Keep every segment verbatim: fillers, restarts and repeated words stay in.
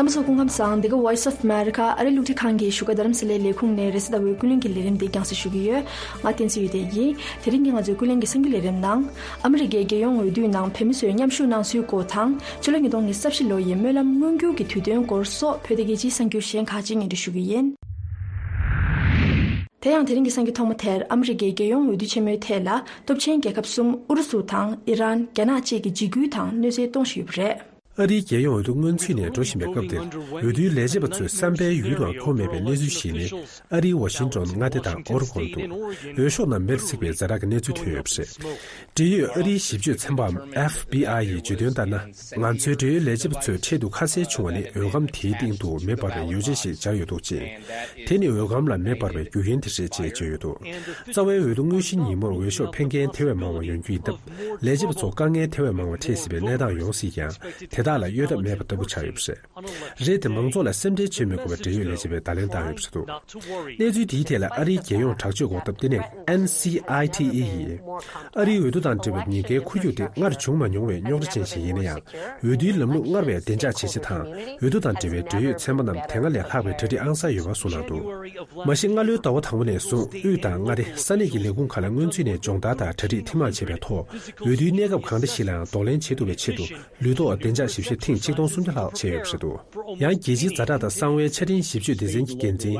རྣམ་པ་ཚོ་སྐུ་ཁམས་བཟང་། འདི་ག་Voice of America ཨ་རིའི་རླུང་འཕྲིན་ཁང་གི་བཞུགས་སྒར་རྡ་རམ་ས་ལའི་ལས་ཁུངས་ནས་རེས་གཟའ་ཟླ་བའི་ཀུན་གླེང་གི་ལས་རིམ་འདི་རྒྱང་སྲིང་ཞུ་གི་ཡོད། ང་བསྟན་འཛིན་ཡེ་ལྡན་ཡིན། དེ་རིང་གི་ང་ཚོའི་ཀུན་གླེང་གི་གསར་འགྱུར་ལས་རིམ་ནང་། ཨ་མི་རི་ཀའི་རྒྱལ་ཡོངས་འོས་བསྡུའི་ནང་བོད་མི་ཚོས་མཉམ་ཞུགས་གནང་ཚུལ་སྐོར་དང་། ཕྱི་ལོ་ཉིས་སྟོང་ཉི་ཤུ་རྩ་བཞི་ལོ་ཡི་སྨོན་ལམ་མངོན་འགྱུར་གྱི་དུས་སྟོན་སྐོར་སོགས་བོད་དང་རྒྱལ་སྤྱིའི་གསར་འགྱུར་གཞན་ཁག་ཅིག་སྙན་སྒྲོན་ཞུ་གི་ཡིན། དེ་ཡང་དེ་རིང་གི་གསར་འགྱུར་ཐོག་མ་དེར་ཨ་མི་རི་ཀའི་རྒྱལ་ཡོངས་འོས་བསྡུ་ཆེན་མོའི་ཐད་ལ་སྟོབས་ཆེན་རྒྱལ་ཁབ་གསུམ་ཨུ་རུ་སུ་དང་ཨི་རན། རྒྱ་ནག་བཅས་ཀྱིས་འཇིགས་སྐུལ་དང་གནོད་འཚེ་གཏོང་བཞིན་ཡོད་པ་རེད། ཨ་རིའི་རྒྱལ་ཡོངས་འོས་བསྡུ་སྔོན་ཚུད་ནས་འགྲོ་བཞིན་པའི་སྐབས་འདིར། འོས་བསྡུའི་ལས་བྱེད་པ་ཚོས་བསམ་པའི་ཡུལ་དུའང་འཁོར་མེད་པའི་གནས་ཚུལ་ཞིག་ནི། ཨ་རིའི་ཝ་ཤིང་ཏོན། མངའ་སྡེ་དང་ཨོ་རི་གོན་དུ། འོས་ཤོག་རྣམས་མེར་བསྲེགས་པའི་ཛ་དྲག་གི་གནས་ཚུལ་ཐོན་ཡོད་པ་རེད། འབྲེལ་ཡོད་ཨ་རིའི་ཞིབ་དཔྱོད་ཚན་པའམ་ཨེཕ་བྷི་ཨའི་ཡིས་བརྗོད་དོན་ལྟར་ན། ང་ཚོའི་འབྲེལ་ཡོད་ལས་བྱེད་པ་ཚོའི་ཁྲལ་དུ་ཁ་གསལ་བྱུང་བ་ནི། འོས་སྒམ་དེའི་སྟེང་དུ་མེ་འབར་བའི་ཡོ་བྱད་ཞིག་སྦྱར་ཡོད་འདུག་ཅིང་། དེ་ནི་འོས་སྒམ་ལ་མེ་འབར་བའི་རྒྱུ་རྐྱེན་དེ་རེད་ཅེས་བརྗོད་ཡོད་འདུག། རྩ་བའི་འོས་བསྡུ་དངོས་གཞིའི་ཉིན་མོར་འོས་ཤོག་འཕེན་མཁན་དེ་བས་མང་བ་ཡོང་རྒྱུ་ཡིན་སྟབས། ལས་བྱེད་པ་ཚོ་དཀའ་ངལ་དེ་བས་མང་བ་འཕྲད་སྲིད་པའི་གནས་སྟངས་ཡོང་སྲིད་ཀྱང་། དེ་དག་ལ་གཡོལ་ཐབས་མེད་པ་ལྟ་བུ་ཆགས་ཡོད་པ་རེད། རེད་དེ། མང་ཚོགས་ལ་སེམས་ཁྲལ་བྱེད་མི་དགོས་པར་འབྲེལ་ཡོད་ལས་བྱེད་པས་བརྡ་ལན་བཏང་ཡོད་པ་རེད་འདུག། གནས་ཚུལ་དེའི་ཐད་ལ་ཨ་རིའི་རྒྱལ་ཡོངས་དྲག་སྤྱོད་འགོག་ཐབས་ལྟེ་གནས་ཨེན་སི་ཨའི་ཊི་ཨི་ཡིས། ཨ་རིའི་འོས་བསྡུ་དང་འབྲེལ་བའི་ཉེན་ཁའི་འཁོར་རྒྱུག་དེ་སྔར་བྱུང་མ་མྱོང་བའི་རྙོག་དྲ་ཅན་ཞིག་ཡིན་ན་ཡང་། འོས་བསྡུའི་ལམ་ལུགས་སྔར་བས་བདེ་འཇགས་བྱེད་ཆེད་དང་། འོས་བསྡུ་དང་འབྲེལ་བའི་འབྲེལ་ཡོད་ཚན་པ་རྣམས་དེ་སྔ་ལས་ལྷག་པའི་གྲ་སྒྲིག་ཨང་གསར་ཡོད་པ་གསུངས་གནང་འདུག། མ་གཞི་སྔ་ལོའི་ཟླ་བ་དང་པོ་ནས་བཟུང་། དབུས་དང་མངའ་སྡེ་ས་གནས་ཀྱི་ལས་ཁུངས་ཁག་ལ་སྔོན་ཚུད་ནས་སྦྱོང་བརྡར་དང་གྲ་སྒྲིག་ཐེངས་མང་བྱས་པའི་ཐོག། འོས་བསྡུའི་གནས་སྐབས་གང་འདྲ་ཞིག་ལའང་གདོང་ལེན་བྱེད་ཐུབ་པའི་ཆེད་དུ། ལུས་ཐོག་བདེ་འཇགས་ཞིབ་བཤེར་ཐེངས་ཆིག་སྟོང་སུམ་བརྒྱ་ལྷག་བྱས་ཡོད་པ་རེད་འདུག། ཡང་རྒྱལ་སྤྱིའི་ཛ་དྲག་དང་གསང་བའི་ཆ་འཕྲིན་ཞིབ་དཔྱོད་སྡེ་ཚན་གྱི་འགན་འཛིན་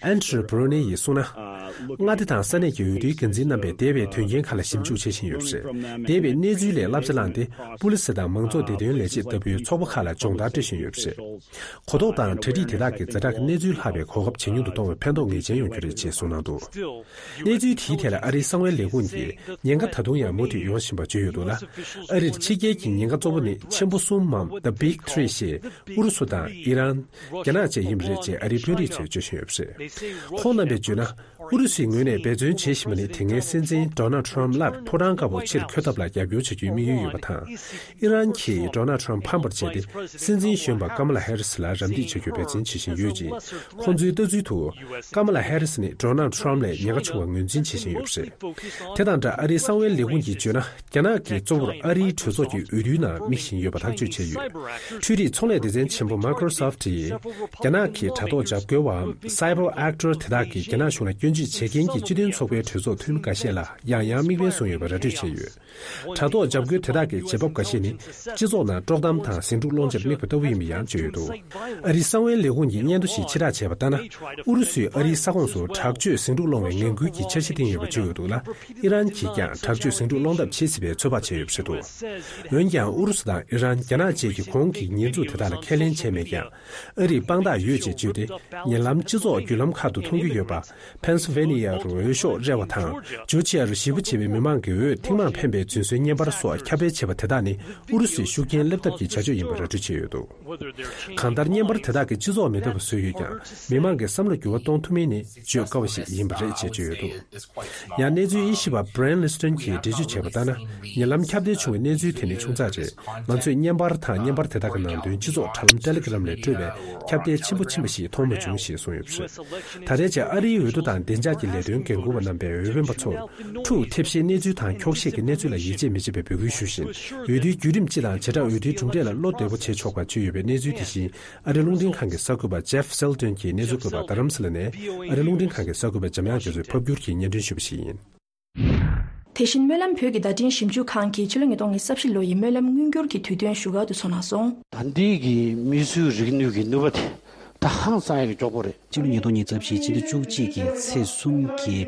ཨན་ཌྲུ་བྷུ་རོ་ནེ་ཡིས་གསུངས་ན། མངའ་སྡེ་དང་ས་གནས་ཀྱི་འོས་བསྡུའི་འགན་འཛིན་རྣམ་པས་འདས་པའི་དོན་རྐྱེན་ཁག་ལ་ཞིབ་འཇུག་བྱེད་བཞིན་ཡོད་པ་རེད། འདས་པའི་གནས་ཚུལ་ལས་བསླབ་བྱ་བླངས་ཏེ། པུ་ལི་སི་དང་མང་གཙོ་བདེ་དོན་ལས་བྱེད་ལྟ་བུའི་ཚོགས་པ་ཁག་ལ་སྦྱོང་བརྡར་སྤྲོད་བཞིན་ཡོད་པ་རེད། གོ་རྟོགས་དང་གྲ་སྒྲིག་དེ་དག་གིས་ཛ་དྲག་གི་གནས་ཚུལ་ལྷག་པའི་གོ་སྐབས་ཇེ་ཉུང་དུ་གཏོང་བའི་ཕན་ཐོགས་ངེས་ཅན་ཡོང་རྒྱུ་རེད་ཅེས་གསུངས་གནང་འདུག། གནས་ཚུལ་དེའི་ཐད་ལ་ཨ་རིའི་གསང་བའི་ལས་ཁུངས་ཀྱིས། ཉེན་ཁ་ད་དུང་ཡང་མུ་མཐུད་ཡོང་བཞིན་པ་བརྗོད་ཡོད་འདུག་ལ། ཨ་རིར་ཕྱི་རྒྱལ་གྱི་ཉེན་ཁ་གཙོ་བོ་ནི་ཆེན་པོ་གསུམ་མམ། The Big Three ཞེས་ཨུ་རུ་སུ་དང་ཨི་རན། རྒྱ་ནག་བཅས་ཡིན་པ་རེད་ཅེས་ཨ་རིའི་དཔོན་རིགས་ཚོས་བརྗོད་བཞིན་ཡོད་པ་རེད། ཁོང་རྣམ་པས་བརྗོད་ན། ཨུ་རུ་སུའི་ངོས་ནས་འབད་བརྩོན་བྱེད་བཞིན་པ་ནི། དེ་སྔའི་སྲིད་འཛིན་ཌོ་ནལ་ཊམ་སླར་ཕོ་བྲང་དཀར་པོར་ཕྱིར་འཁོད་ཐབས་ལ་རྒྱབ་སྐྱོར་བྱ་རྒྱུའི་དམིགས་ཡུལ་ཡོད་པ་དང་། ཨི་རན་གྱིས་ཌོ་ནལ་ཊམ་ཕམ་པར་བྱས་ཏེ། སྲིད་འཛིན་གཞོན་པ་ཀ་མ་ལ་ཧེ་རི་སི་ལ་རམ་འདེགས་བྱ་རྒྱུར་འབད་བརྩོན་བྱེད་བཞིན་ཡོད་ཅིང་། ཁོང་ཚོའི་ལྟ་ཚུལ་དུ། ཀ་མ་ལ་ཧེ་རི་སི་ནི་ཌོ་ནལ་ཊམ་ལས་ཉེན་ཁ་ཆུང་བ་ངོས་འཛིན་བྱེད་བཞིན་ཡོད་པ་རེད། དེ་དང་སྦྲགས་ཨ་རིའི་གསང་བའི་ལས་ཁུངས་ཀྱིས་བརྗོད་ན། རྒྱ་ནག་གིས་གཙོ་བོར་ཨ་རིའི་གྲོས་ཚོགས་ཀྱི་འོས་བསྡུའི་ནང་དམིགས་བཞིན་ཡོད་པ་ཐག་གཅོད་བྱས་ཡོད། འཕྲུལ་རིག་ཚོང་ལས་སྡེ་ཚན་ཆེན་པོ་Microsoft ཡིས། རྒྱ་ནག་གི་དྲ་ཐོག་འཇབ་རྒོལ་བའམ་Cyber Actor དེ་དག་གིས་རྒྱ་ནག་གཞུང་ལ་སྐྱོན་བརྗོད་བྱེད་མཁན་གྱི་སྤྱི་མཐུན་ཚོགས་པའི་གྲོས་ཚོགས་འཐུས་མི་འགའ་ཤས་ལ་ཡང་ཡང་མིག་དཔེ་བཟུང་ཡོད་པ་ར་སྤྲོད་བྱས་ཡོད། དྲ་ཐོག་འཇབ་རྒོལ་དེ་དག་གི་བྱེད་བབ་འགའ་ཤས་ནི། སྤྱི་ཚོགས་ནང་དཀྲོག་གཏམ་དང་ཟིང་འཁྲུག་སློང་ཆེད་དམིགས་པ་ལྟ་བུ་ཡིན་པ་ཡང་བརྗོད་ཡོད་འདུག། ཨ་རིའི་གསང་བའི་ལས་ཁུངས་ཀྱིས་སྙན་ཐོ་ཞིག་ཕྱིར་བསྒྲགས་བྱས་པ་ལྟར་ན། ཨུ་རུ་སུས་ཨ་རིའི་ས་ཁོངས་སུ་དྲག་སྤྱོད་ཟིང་འཁྲུག་སློང་བའི་ངན་སྐུལ་གྱི་འཆར་གཞི་བཏིང་ཡོད་པ་བརྗོད་ཡོད་འདུག་ལ། ཨི་རན་གྱིས་ཀྱང་དྲག་སྤྱོད་ཟིང་འཁྲུག་སློང་ཐབས་བྱེད་སྲིད་པའི་ཚོད་དཔག་བྱས་ཡོད་པ་རེད་འདུག། འོན་ཀྱང་ཨུ་རུ་སུ་དང་ཨི་རན། རྒྱ་ནག་བཅས་ཀྱིས་གོང་གི་ཉེས་འཛུགས་དེ་དག་ལ་ཁས་ལེན་བྱས་མེད་ཀྱང་། ཨ་རིས་དཔང་རྟགས་ཡོད་ཅེས་བརྗོད་དེ། ཉེ་ལམ་སྤྱི་ཚོགས་བརྒྱུད་ལམ་ཁག་ཏུ་མཐོང་རྒྱུ་ཡོད་པ། Pennsylvania རུ་འོས་ཤོག་རལ་བ་དང་། ཇོར་ཇི་ཡ་རུ་གཞིས་སྤོ་བྱས་པའི་མི་མང་གི་འོས་ཐེངས་མང་འཕེན་པའི་རྫུན་བཟོའི་བརྙན་པར་སོགས་ཁྱབ་སྤེལ་བྱས་པ་དེ་དག་ནི་ཨུ་རུ་སུའི་ཤུགས་རྐྱེན་སླེབས་ཐབས་ཀྱི་བྱ་སྤྱོད་ཡིན་པ་ར་སྤྲོད་བྱས་ཡོད་འདུག། གང་ལྟར་བརྙན་པར་དེ་དག་གིས་སྤྱི་ཚོགས་མི་འདོད་པ་བཟོས་ཡོད་ཀྱང་། མི་མང་གི་བསམ་བློ་འགྱུར་བ་གཏོང་ཐུབ་མིན་ནི་བརྗོད་དཀའ་བ་ཞིག་ཡིན་པ་རེད་ཅེས་བརྗོད་ཡོད་འདུག། ཡང་གནས་ཚུལ་དབྱེ་ཞིབ་པ་Brian Liston གྱིས་འགྲེལ་བརྗོད་བྱས་པ་ལྟར་ན། ཉེ་ལམ་ཁྱབ་གདལ་བྱུང་བའི་གནས་ཚུལ་དེ་ནི་ཆུང་ཙག་རེད། ང་ཚོས་བརྙན་པར་དང་བརྙན་པར་དེ་དག་གི་ནང་དོན་སྤྱི་ཚོགས་དྲ་ལམ་Telegram ལས་སྤྲོད་པའི་ཁྱབ་གདལ་ཆེན་པོ་ཕྱིན་པ་ཞིག་མཐོང་མ་བྱུང་ཞེས་གསུངས་ཡོད་པ་རེད། ད་ལྟའི་ཆར་ཨ་རིའི་འོས་བསྡུ་དང་བདེ་འཇགས་ཀྱི་ལས་དོན་འགན་འཁུར་བ་རྣམ་པས་འོས་འཕེན་པ་ཚོར། འཁྲུག་ཐེབས་གཤིས་གནས་ཚུལ་དང་འཁྱོག་བཤད་ཀྱི་གནས་ཚུལ་ལ་ཡིད་ཆེས་མི་བྱེད་པའི་འབོད་སྐུལ་ཞུ་བཞིན། འོས་བསྡུའི་བརྒྱུད་རིམ་སྤྱི་དང་བྱེ་བྲག་འོས་བསྡུའི་གྲུབ་འབྲས་ལ་བློ་བདེ་པོ་བྱེད་ཆོག་པ་བརྗོད་ཡོད་པའི་གནས་ཚུལ་དེ་བཞིན། ཨ་རིའི་རླུང་འཕྲིན་ཁང་གི་གསར་འགོད་པ་Jeff Seldon གྱིས་གནས་ཚུལ་བཀོད་པ་རྡ་རམ་ས་ལ་ནས། ཨ་རིའི་རླུང་འཕྲིན་ཁང་གི་གསར་འགོད་པ་འཇམ་དབྱངས་རྒྱ་མཚོས་ཕབ་བསྒྱུར་གྱིས་སྙན་སྒྲོན་ཞུས་པ་ཞིག་ཡིན། དེ་བཞིན་སྨོན་ལམ་བོད་ཀྱི་བརྡ་འཕྲིན་ཞིབ་འཇུག་ཁང་གིས་ཕྱི་ལོ་ཉིས་སྟོང་ཉི་ཤུ་རྩ་བཞི་ལོ་ཡི་སྨོན་ལམ་མངོན་འགྱུར་གྱི་དུས་སྟོན་ཞུ་གལ་དུ་སོང་གནང་སོང་། ད་ལྟའི་གི་མིས་བཟོས་རིག་ནུས་ཀྱི་ནུས་པ་དེ་ད་ཧང་སང་ཡག་གི་མགྱོགས་པོ་རེད། སྤྱི་ལོ་ཉིས་སྟོང་ཉི་ཤུ་རྩ་བཞི་སྤྱི་ཟླ་བཅུ་གཅིག་གི་ཚེས་གསུམ་གྱི་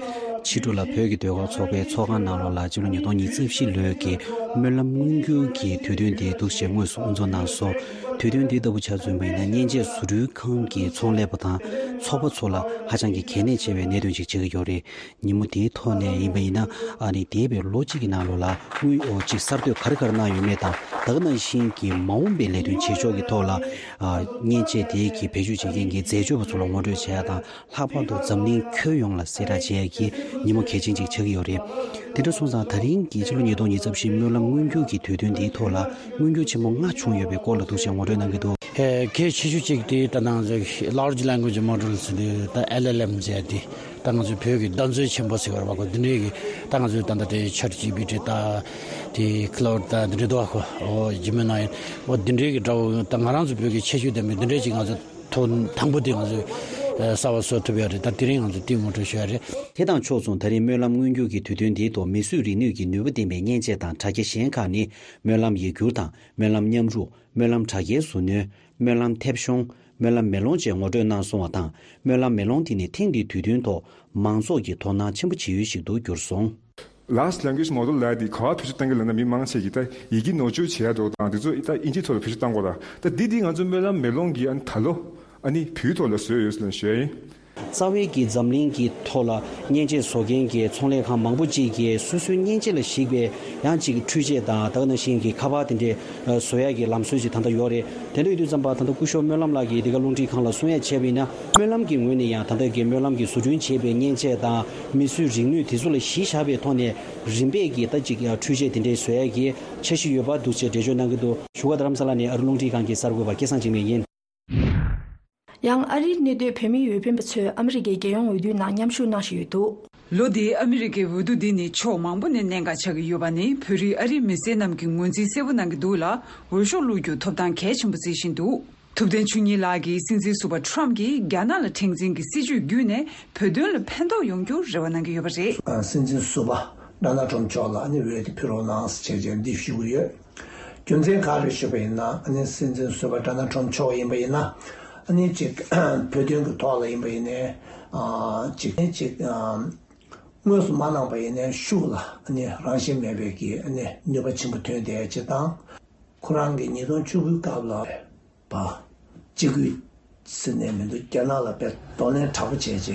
ཕྱི་དྲོ་ལ་བོད་ཀྱི་ཟློས་གར་ཚོགས་པའི་ཚོགས་ཁང་ནང་ལོགས་ལ་སྤྱི་ལོ་ཉིས་སྟོང་ཉི་ཤུ་རྩ་བཞི་ལོའི་གི་སྨོན་ལམ་མངོན་འགྱུར་གྱི་དུས་སྟོན་དེ་འདུག་སེ་དངོས་སུ་དབུ་འཛུགས་གནང་སོང་། དུས་སྟོན་དེ་ལྟ་བུ་ཆ་མཚོན་པ་ཡིན་ན་མཉེན་ཆས་བཟོ་སྐྲུན་ཁང་གི་ཚོང་ལས་པ་དང་ཚོགས་པ་ཚོ་ལ་ཧ་ཅང་གི་གལ་གནད་ཆེ་བའི་གནད་དོན་ཅིག་ཆགས་ཀྱི་ཡོད་རེད། ཉིན་མོ་དེའི་ཐོག་ནས་ཡིན་པ་ཡིན་ན། ཨ་ནི་འདས་པའི་ལོ་གཅིག་གི་ནང་ལོགས་ལ་དངུལ་འོག་ཅིག་གསར་གཏོད་ག་རེ་ག་རེ་གནང་ཡོད་མེད་དང་། ད་ག་ནང་བཞིན་གྱི་མ་འོངས་པའི་ལས་དོན་བྱེད་ཕྱོགས་ཀྱི་ཐོག་ལ། ཨ། མཉེན་ཆས་དེའི་གི་བེད་སྤྱོད་བྱེད་མཁན་གྱི་འཛད་སྤྱོད་པ་ཚོ་ལ་ངོ་སྤྲོད་བྱེད་ཡ་དང་། ལྷག་པར་དུ་འཛམ་གླིང་ཁྱོན་ཡོངས་ལ་གསལ་བསྒྲགས་བྱེད་ཡ་གི་ཉིན་མོ་གལ་ཆེན་ཅིག་ཆགས་ཀྱི་ཡོད་རེད། དེ་འདྲ་སོང་ཙང་ད་རིང་གི་ཕྱི་ལོ་ཉིས་སྟོང་ཉི་ཤུ་རྩ་བཞི་སྨོན་ལམ་མངོན་འགྱུར་གྱི་དུས་སྟོན་འདིའི་ཐོག་ལ་མངོན་འགྱུར་ཆེན་མོ་ལྔ་བྱུང་ཡོད་པའི་སྐོར་ལ་འདུག་སེ་ངོ་སྤྲོད་གནང་གི་འདུག། ཨེ། གལ་ཆེ་ཤོས་གཅིག་དེ་ད་ནང་Large Language Models དེ་ད་ཨེལ་ཨེལ་ཨེམ་ཟེར་དེ། ད་ང་ཚོའི་བོད་ཀྱི་གདམ་ཚོན་ཆེན་པོ་ཟེར་བ་རེད་པ་ཁོ། འདི་འདྲའི་གི་ད་ང་ཚོའི་ད་ལྟ་དེ་ཆེཊ་ཇི་པི་ཊི་ད་དེ་ཁི་ལའུ་ཌི་ད་འདི་འདྲའི་འདུག་པ་ཁོ། ཨོ་ཇི་མི་ནའི་ཨོ་འདི་འདྲའི་གི་འདྲ་བོ་ད་ང་རང་ཚོ་བོད་ཀྱི་ཁྱད་ཆོས་ལྡན་པའི་འདི་འདྲའི་ཅིག་ང་ཚོ་ཐོག་དང་པོ་དེ་ང་ཚོས་ཨ་གསར་པ་བཟོ་ཐུབ་ཡ་རེད། ད་དེ་རིང་ང་ཚོས་དེ་ངོ་སྤྲོད་ཞུ་ཡ་རེད། དེ་དང་ཕྱོགས་མཚུངས་ད་རེས་སྨོན་ལམ་མངོན་གྱུར་གྱི་དུས་སྟོན་འདིའི་ཐོག་མིས་བཟོས་རིག་ནུས་ཀྱི་ནུས་པ་ལྡན་པའི་མཉེན་ཆས་དང་དྲ་རྒྱ་གཞན་ཁག་ནི། སྨོན་ལམ་ཡིག་སྒྱུར་དང་སྨོན་ལམ་མཉམ་རུབ། སྨོན་ལམ་དྲ་རྒྱའི་ཟུར་སྣོན། སྨོན་ལམ་མཐེབ་གཞོང་། སྨོན་ལམ་མེ་ལོང་བཅས་ངོ་སྤྲོད་གནང་སོང་བ་དང་། སྨོན་ལམ་མེ་ལོང་དེ་ནི་ཐེངས་འདིའི་དུས་སྟོན་ཐོག་མང་ཚོགས་ཀྱིས་དོ་སྣང་ཆེན་པོ་བྱེད་ཡུལ་ཞིག་ཏུ་གྱུར་སོང་། Large Language Model་ལབ་དེ་ག་པར་བེད་སྤྱོད་གཏང་གི་ལབ་ན། མི་མང་ཆེ་གིས་ད་ཡི་གེ་ནོར་བཅོས་བྱེད་ཡ་འདུག་དང་དེ་ཚོ་ད་ཨིན་ཇིའི་ཐོག་ལ་བེད་སྤྱོད་གཏང་དགོས་ར། ད་འདི་འདི་ང་ཚོ་སྨོན་ལམ་མེ་ལོང་གིས་ཨ་ནི་ད་ལོ་ཨ་ནི་བོད་ཐོག་ལ་བཟོས་ཡོད་ཟེར་ནས་ཞུ་ཡ་ཡིན། རྩ་བའི་གི་འཛམ་གླིང་གི་ཐོག་ལ་མཉེན་ཆས་བཟོ་མཁན་གྱི་ཚོང་ལས་ཁང་མང་པོ་ཅིག་གིས་སོ་སོའི་མཉེན་ཆས་ལ་གཞིགས་པའི་ཡང་ཅིག་འཕྲུལ་ཆས་དང་ད་ག་ནང་བཞིན་གྱི་ཁ་པར་དེ་འདྲའི་བཟོ་ཡག་གི་ལམ་སྲོལ་ཅིག་ད་ལྟ་ཡོད་རེད། དེ་འདྲ་ཡོད་དུས་ཙམ་པ་ད་ལྟ་སྐུ་ཞབས་སྨོན་ལམ་ལགས་ཀྱིས་འདི་ག་རླུང་འཕྲིན་ཁང་ལ་གསུང་ཡ་བྱས་པ་ཡིན་ན། སྨོན་ལམ་གྱི་ངོས་ནས་ཡང་ད་ལྟ་གི་སྨོན་ལམ་གྱི་བཟོ་སྐྲུན་བྱས་པའི་མཉེན་ཆས་དང་མིས་བཟོས་རིག་ནུས་དེ་ཚོ་ལ་གཞི་བཞག་པའི་ཐོག་ནས་རིམ་པས་ཀྱི་ད་ཅིག་འཕྲུལ་ཆས་དེ་འདྲའི་བཟོ་ཡག་གི་འཆར་གཞི་ཡོད་པ་འདུག་ཅེས་འགྲེལ་བརྗོད་གནང་གི་འདུག་བཞུགས་སྒར་རྡ་རམ་ས་ལ་ནས་ཨ་རི་རླུང་འཕྲིན་ཁང་གི་གསར་འགོད་པ་སྐལ་བཟང་འཇིགས་མེད་ཡིན། ཡང་ཨ་རིར་གནས་སྡོད་བོད་མིའི་འོས་འཕེན་པ་ཚོས་ཨ་མི་རི་ཀའི་རྒྱལ་ཡོངས་འོས་བསྡུའི་ནང་མཉམ་ཞུགས་གནང་བཞིན་ཡོད་འདུག་ལོ་འདིའི་ཨ་མི་རི་ཀའི་འོས་བསྡུ་འདི་ནི་ཕྱོགས་མང་པོ་ནས་གནད་འགག་ཆགས་ཀྱི་ཡོད་པ་ནི། བོད་རིགས་ཨ་རིའི་མི་སེར་རྣམས་ཀྱིས་ངོས་འཛིན་གསལ་པོ་གནང་གི་འདུག་ལ། འོས་ཤོག་བླུག་རྒྱུ་ཐོབ་ཐང་གལ་ཆེན་པོ་བརྩི་བཞིན་འདུག་ཐུབ་བསྟན་ཆོས་ཉིད་ལགས་ཀྱིས་སྲིད་འཛིན་ཟུར་པ་ཁྲོམ་གྱིས་རྒྱ་ནག་ལ་མཁྲེགས་འཛིན་གྱི་སྲིད་བྱུས་བརྒྱུད་ནས་བོད་དོན་ལ་ཕན་ཐོགས་ཡོང་རྒྱུར་རེ་བ་གནང་གི་ཡོད་པ་རེད། སྲིད་འཛིན་ཟུར་པ་ཌོ་ནལ་ཁྲོམ་མཆོག་ལ་ཨ་ནི་འོས་དེ་ཕུལ་རོགས་གནང་ཟེར་བྱས་འདི་ཞུ་གི་ཡོད། རྒྱུ་མཚན་ག་རེ་ཞུས་པ་ཡིན་ན། ཨ་ནི་སྲིད་འཛིན་ཟུར་པ་ཌོ་ནལ་ཁྲོམ་མཆོག་ཡིན་པ་ཡིན་ན། ཨ་ནི་ཅིག་བོད་དོན་གྱི་ཐོག་ལ་ཡིན་པ་ཡིན་ནའི། ཨ་ཅིག་ཅིག་ཨ་དངོས་སུ་མ་གནང་པ་ཡིན་ནའི་ཤུགས་ལ་ཨ་ནི་རང་བཞིན་མེད་པའི་གི་ཨ་ནི་ནུས་པ་ཆེན་པོ་ཐོན་བསྡད་ཅིག་དང་། ཁོ་རང་གི་ཉིས་སྟོང་བཅུ་དགུའི་སྐབས་ལ། པ། གཅིག་སྒོས་ཟེར་ནས་མི་འདུག་རྒྱ་ནག་ལ་དཔེ་གདོང་ལེན་དྲག་པོ་བྱས་རྗེས་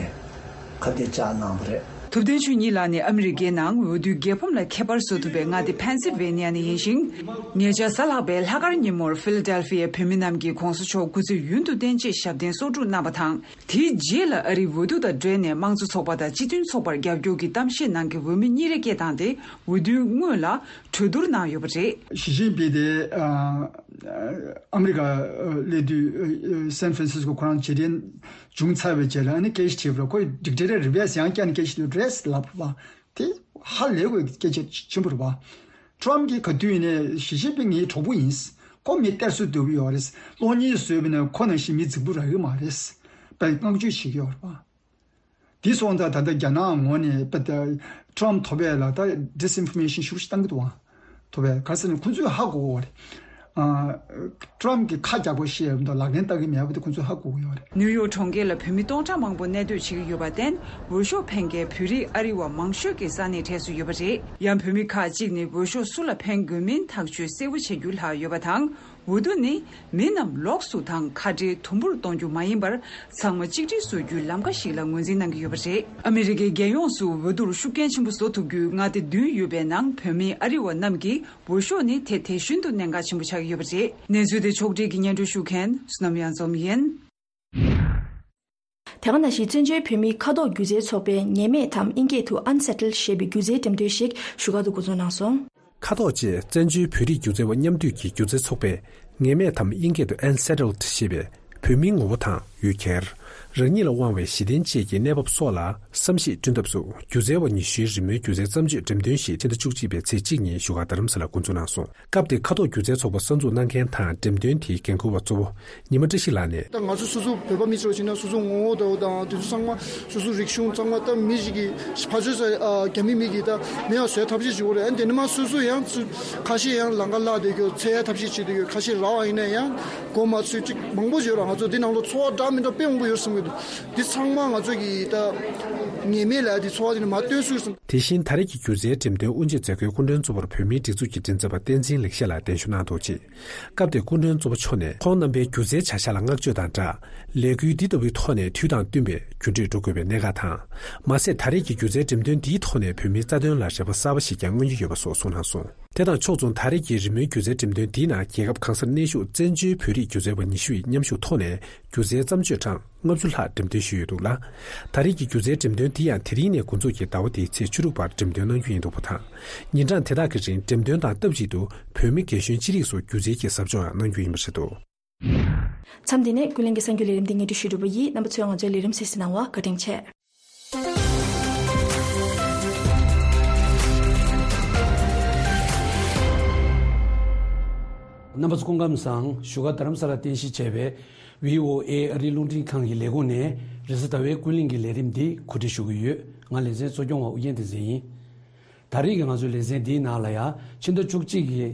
ཁ་གཏད་བཅག་གནང་བ་རེད། ཐུབ་བསྟན་ཆོས་ཉིད་ལགས་ནི་ཨ་མི་རི་ཀའི་ནང་འོས་བསྡུའི་རྒྱལ་ཕམ་ལ་ཁྱད་པར་བཟོ་ཐུབ་པའི་མངའ་སྡེ་ཕེན་སིལ་ཝེ་ནི་ཡ་ནས་ཡིན་ཞིང་། ཉེ་ཆར་གཟའ་ལྷག་པའི་ལྷག་དཀར་ཉིན་མོར་ཕི་ལ་ཌེལ་ཕི་ཡའི་བོད་མི་རྣམས་ཀྱིས་གོང་ས་མཆོག་སྐུ་ཚེ་ཡུན་དུ་བརྟན་ཅེས་ཞབས་བརྟན་གསོལ་སྒྲུབ་གནང་བ་དང་། དེའི་རྗེས་ལ་ཨ་རིའི་འོས་བསྡུ་དང་འབྲེལ་ནས་དམངས་གཙོ་ཚོགས་པ་དང་སྤྱི་མཐུན་ཚོགས་པར་རྒྱབ་སྐྱོར་གྱི་གཏམ་བཤད་གནང་མཁན་འོས་མི་གཉིས་རེ་སྐད་བཏང་སྟེ། འོས་བསྡུའི་སྔོན་ལ་གྲོས་བསྡུར་གནང་ཡོད་པ་རེད། ཞི་ཅིན་ཕིང་དེ་ཨ་ཨ་མི་རི་ཀ་ཨ་སླེབས་དུས་ཨ་སན་ཧྥ་རན་སིས་ཀོ་ཁོ་རང་རྗེས་དྲན་བྱུང་ཚར་བའི་རྗེས་ལ་ཨ་ནི་སྐད་ཆ་དྲིས་པ་ལ་ཁོས་འགྲིག་འགྲིག་རེད། རི་ཝེ་སི་ཡང་བསྐྱར་ནས་སྐད་ཆ་དྲིས་རེད་ལབ་པ་དེ་ཧ་ལས་དགོས་སྐད་ཆ་ཆེན་པོ་རེད་པ། ཁྲོམ་གྱིས་ག་དུས་ཡིན་ནའི་ཞི་ཅིན་ཕིང་ངའི་གྲོགས་པོ་ཡིན། ཁོ་མི་གཏེར་སྲོལ་འདོད་ཀྱི་ཡོད་རེད། གློག་བརྙན་བཟོས་པ་ཡིན་ན་ཁོ་ནང་བཞིན་མི་རྫིག་པོ་རག་གི་མ་རེད། པའི་བསྔགས་བརྗོད་བྱེད་ཀྱི་ཡོད་རེད་པ། དེ་སོང་ཙང་ད་ལྟ་རྒྱ་ནག་ངོས་ནས་པ་ད་ཁྲོམ་ཐོབ་པའི་ལ་ད་ཌིས་ཨིན་ཕོར་མེ་ཤན་ཤུགས་ཆེ་བཏང་གི་འདུག་ཨང་། ཐོབ་པའི་ག་ཟེར་ན་ཁོ་ཚོས་ཧ་གོ་གི་ཡོད་རེད། ཨ་ཁྲོམ་གྱི་ཁ་རྒྱག་པ་ཤེས་ཡོད་མདོག་ལག་ལེན་བསྟར་གི་མེད་པ་དེ་ཁོ་ཚོས་ཧ་གོ་གི་ཡོད་རེད། ནིའུ་ཡོག་གྲོང་ཁྱེར་ལ་བོད་མི་སྟོང་ཕྲག་མང་པོ་གནས་སྡོད་བྱེད་ཀྱི་ཡོད་པར་བརྟེན། འོས་ཤོག་འཕེན་མཁན་བོད་རིགས་ཨ་རི་བ་མང་ཤོས་ཀྱི་ས་གནས་གྲས་སུ་ཡོད་པ་རེད། ཡང་བོད་མི་ཁག་ཅིག་ནི་འོས་ཤོག་སུ་ལ་འཕེན་དགོས་མིན་ཐག་གཅོད་གསལ་པོ་བྱེད་རྒྱུ་ལྷག་ཡོད་པ་དང་། འོས་བསྡུ་ནི་མི་རྣམས་ལོགས་སུ་དང་ཁ་བྲལ་དུམ་བུར་གཏོང་རྒྱུ་མ་ཡིན་པར། ཚང་མ་གཅིག་སྒྲིལ་བཟོ་རྒྱུའི་ལམ་ཁ་ཞིག་ལ་ངོས་འཛིན་གནང་གི་ཡོད་པ་རེད། ཨ་མི་རི་ཀའི་རྒྱལ་ཡོངས་སུ་འོས་བསྡུར་ཤུགས་རྐྱེན་ཆེན་པོ་བཟོ་ཐུབ་རྒྱུའི་མངའ་སྡེ་བདུན་ཡོད་པའི་ནང་བོད་མིའི་ཨ་རི་བ་རྣམས་ཀྱིས་འོས་ཤོག་ནི་དེ་དེ་བཞིན་དུ་གནད་འགག་ཆེན་པོ་ཆགས་ཀྱི་ཡོད་པ་རེད། གནས་ཚུལ་དེ་ཕྱོགས་སྒྲིག་གིས་སྙན་སྒྲོན་ཞུ་མཁན་བསོད་ནམས་གཡང་འཛོམས་ཡིན། དེ་ག་ནང་བཞིན་བཙན་བྱོལ་བོད་མིའི་ཁ་ཐོག་སྒྱུ་རྩལ་ཚོགས་པས་ངེས་མེད་དམ་དབྱིན་སྐད་དུ་Unsettled ཞེས་པའི་སྒྱུ་རྩལ་འགྲེམས་སྟོན་ཞིག་བཞུགས་སྒར་དུ་འགོ་འཛུགས་གནང་སོང་། ཁ་ཐོག་བཅས་བཙན་བྱོལ་བོད་རིགས་སྒྱུ་རྩལ་བ་མཉམ་འདུས་ཀྱི་སྒྱུ་རྩལ་ཚོགས་པས་ངེས་མེད་དམ་དབྱིན་སྐད་དུ་Unsettled ཞེས་པའི་བོད་མིའི་ངོ་བོ་དང་ཡུལ་གྱར། རང་ཉིད་ལ་དབང་བའི་གཞི་རྟེན་བཅས་ཀྱི་གནས་བབ་སོགས་ལ་བསམ་གཞིག་བསྐྲུན་ཐབས་སུ་སྒྱུ་རྩལ་བ་ཉི་ཤུའི་རི་མོའི་སྒྱུ་རྩལ་བརྩམས་ཆོས་འགྲེམས་སྟོན་ཞིག་ཕྱི་ཟླ་བཅུ་གཅིག་པའི་ཚེས་གཅིག་ཉིན་བཞུགས་སྒར་རྡ་རམ་ས་ལར་འགོ་འཛུགས་གནང་སོང་། སྐབས་དེར་ཁ་ཐོག་སྒྱུ་རྩལ་ཚོགས་པ་གསར་འཛུགས་གནང་མཁན་དང་འགྲེམས་སྟོན་དེའི་འགན་འཁུར་བ་གཙོ་བོ་ཉི་མ་བཀྲ་ཤིས་ལགས་ནས། ད་ང་ཚོ་སོ་སོ་བོད་པ་མི་ཚོ་བྱས་ན་སོ་སོ་ངོ་བོ་ལྟ་བུ་དང་དེ་ཚོ་ཚང་མ་སོ་སོ་རིག་གཞུང་ཚང་མ་ད་མི་ཞིག་གིས་ཕར་ཚུར་ས་རྒྱ་མི་མི་གིས་ད་མེད་པ་བཟོའི་ཐབས་ཤེས་བྱེད་དགོས་རེད། ཨ་ནི་དེ་ནས་མ་སོ་སོ་ཡང་ཚུར་ཁ་ཤས་ཡང་ལམ་ཁ་བརླག་བསྡད་རྒྱུ་འཚོལ་ཡ་ཐབས་ཤེས་བྱེད་བསྡད་རྒྱུ་ཁ་ཤས་རག་པ་ཡིན་ན་ཡང་མགོ་མ་ཚོས་ཅིག་མང་པོ་ཡོད་ར། ང་ཚོ་འདི་ནང་ལོགས་ཚོར་བ་འདྲ་མི་འདྲ་དཔེ་མང་པོ་ཡོད་བསམ་གྱི་འདུག་འདི་ཚང་མ་ང་ཚོ་གིས་ད་ངེས་མེད་ལ་འདི་ཚོར་བ་འདི་ནས་མ་བཏོན་ཚུལ་བསམ། དེ་བཞིན་ད་རེས་ཀྱི་སྒྱུ་རྩལ་འགྲེམས་སྟོན་དབུ་འབྱེད་མཛད་སྒོའི་སྐུ་མགྲོན་གཙོ་བོར་བོད་མིའི་སྒྲིག་འཛུགས་ཀྱི་མགྲིན་ཚབ་པ་བསྟན་འཛིན་ལེགས་བཤད་ལགས་གདན་ཞུ་གནང་འདུག་ཅེས། སྐབས་དེར་སྐུ་མགྲོན་གཙོ་བོ་མཆོག་ནས་ཁོང་རྣམ་པའི་སྒྱུ་རྩལ་བྱ་གཞག་ལ་བསྔགས་བརྗོད་དང་སྦྲགས། ལས་འགུལ་འདི་ལྟ་བུའི་ཐོག་ནས་དུས་དང་བསྟུན་པའི་འགྱུར་འགྲོས་འགྲོ་དགོས་པའི་གནད་འགག་དང་། མ་ཟད་ད་རེས་ཀྱི་སྒྱུ་རྩལ་འགྲེམས་སྟོན་འདིའི་ཐོག་ནས་བོད་མིའི་རྩ་དོན་ལ་རེ་བ་གསར་པ་ཞིག་ཀྱང་མངོན་གྱི་ཡོད་པ་སོགས་གསུངས་གནང་སོང་། དེ་དང་ཕྱོགས་མཚུངས་ད་རེས་ཀྱི་རི་མོའི་སྒྱུ་རྩལ་འགྲེམས་སྟོན་འདིའི་ནང་རྒྱལ་ཁབ་གང་སར་གནས་བཞུགས་བཙན་བྱོལ་བོད་རིགས་སྒྱུ་རྩལ་བ་ཉི་ཤུ་ཡིས་མཉམ་ཞུགས་ཐོག་ནས་སྒྱུ་རྩལ་བརྩམས་ཆོས་གྲངས་ལྔ་བཅུ་ལྷག་འགྲེམས་སྟོན་ཞུས་ཡོད་འདུག་ལ། ད་རེས་ཀྱི་སྒྱུ་རྩལ་འགྲེམས་སྟོན་འདི་ཡང་དེ་རིང་ནས་འགོ་འཛུགས་ཀྱིས་ཟླ་བ་འདིའི་ཚེས་བཅུ་དྲུག་བར་འགྲེམས་སྟོན་གནང་རྒྱུ་ཡིན་འདུག་པ་དང་། ཉིན་གྲངས་དེ་དག་གི་རིང་འགྲེམས་སྟོན་དང་སྟབས་གཅིག་ཏུ་བོད་མི་རྒན་གཞོན་ཅི་རིགས་སུ་སྒྱུ་རྩལ་གྱི་ཟབ་སྦྱོང་ཡང་གནང་རྒྱུ་ཡིན་པ་རེད་འདུག་མཚམས་འདི་ནས་ཀུན་གླེང་གི་གསར་འགྱུར་ལས་རིམ་འདི་སྙན་སྒྲོན་ཞུས་གྲུབ་པ་ཡིན། རྣམ་པ་ཚོས་ང་ཚོའི་ལས་རིམ་གསན་གཟིགས་གནང་བར་བཀའ་དྲིན་ཆེ། རྣམ་པ་ཚོ་སྐུ་ཁམས་བཟང་། བཞུགས་སྒར་རྡ་རམ་ས་ལར་རྟེན་གཞི་བྱས་པའི་བྷི་ཨོ་ཨེ་ཨ་རིའི་རླུང་འཕྲིན་ཁང་གི་ལས་ཁུངས་ནས་རེས་གཟའ་ཟླ་བའི་ཀུན་གླེང་གི་ལས་རིམ་འདི་གོ་སྒྲིག་ཞུ་གི་ཡོད། ང་ལེ་ཚན་གཙོ་སྐྱོང་བ་ཨུ་རྒྱན་བསྟན་འཛིན་ཡིན། ད་རེས་ཀྱི་ང་ཚོའི་ལེ་ཚན་འདིའི་ནང་ལ་ཡང་ཕྱི་ཟླ་བཅུ་གཅིག་གི་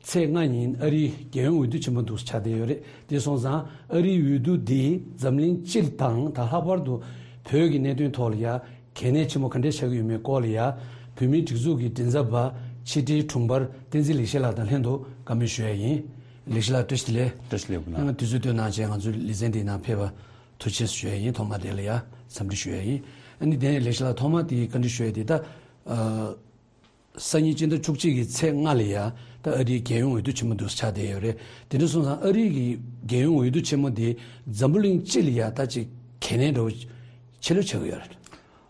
ཚེས་ལྔ་ཉིན་ཨ་རིའི་རྒྱལ་ཡོངས་འོས་བསྡུ་ཆེན་མོ་འདུག་ཆགས་བསྡད་ཡོད་རེད། དེ་སོང་ཙང་ཨ་རིའི་འོས་བསྡུ་འདིས་འཛམ་གླིང་སྤྱི་དང་ད་ལྷག་པར་དུ་བོད་ཀྱི་གནད་དོན་ཐོག་ལ་ཡང་གལ་གནད་ཆེན་པོ་ག་འདྲས་ཆགས་ཀྱི་ཡོད་མེད་སྐོར་ལ་ཡང་བོད་མིའི་སྒྲིག་འཛུགས་ཀྱི་མགྲིན་ཚབ་པ་ཕྱི་དྲིལ་དྲུང་འཕར་བསྟན་འཛིན་ལེགས་བཤད་ལགས་དང་ལྷན་དུ་བཀའ་མོལ་ཞུ་ཡ་ཡིན། ལེགས་བཤད་ལགས་བཀྲ་ཤིས་བདེ་ལེགས། བཀྲ་ཤིས་བདེ་ལེགས། དུས་ཚོད་བཏོན་གནང་བྱས་ང་ཚོའི་ལེ་ཚན་འདིའི་ནང་ཕེབས་པ་ཐུགས་རྗེ་ཆེ་ཞུ་ཡ་ཡིན། ཐོག་མ་དེ་ལ་ཡང་འཚམས་འདྲི་ཞུ་ཡ་ཡིན། ཨ་ནི་དེ་ནས་ལེགས་བཤད་ལགས་ཐོག་མ་དེ་བཀའ་འདྲི་ཞུ་ཡ་དེ་ད། ཨ། སང་ཉིན་སྤྱི་ཟླ་བཅུ་གཅིག་གི་ཚེས་ལྔ་ལ་ཡ་ད་ཨ་རིའི་རྒྱལ་ཡོངས་འོས་བསྡུ་ཆེན་མོ་འདུག་ཆགས་བསྡད་ཡོད་རེད། དེ་འདྲ་སོང་ཙང་ཨ་རིའི་གི་རྒྱལ་ཡོངས་འོས་བསྡུ་ཆེན་མོ་དེ་འཛམ་བུ་གླིང་སྤྱི་ལ་ཡ་ད་ཅིག་གལ་གནད་འདྲ་བོ་ཆེ་ལོས་ཆགས་ཀྱི་ཡོད་རེད།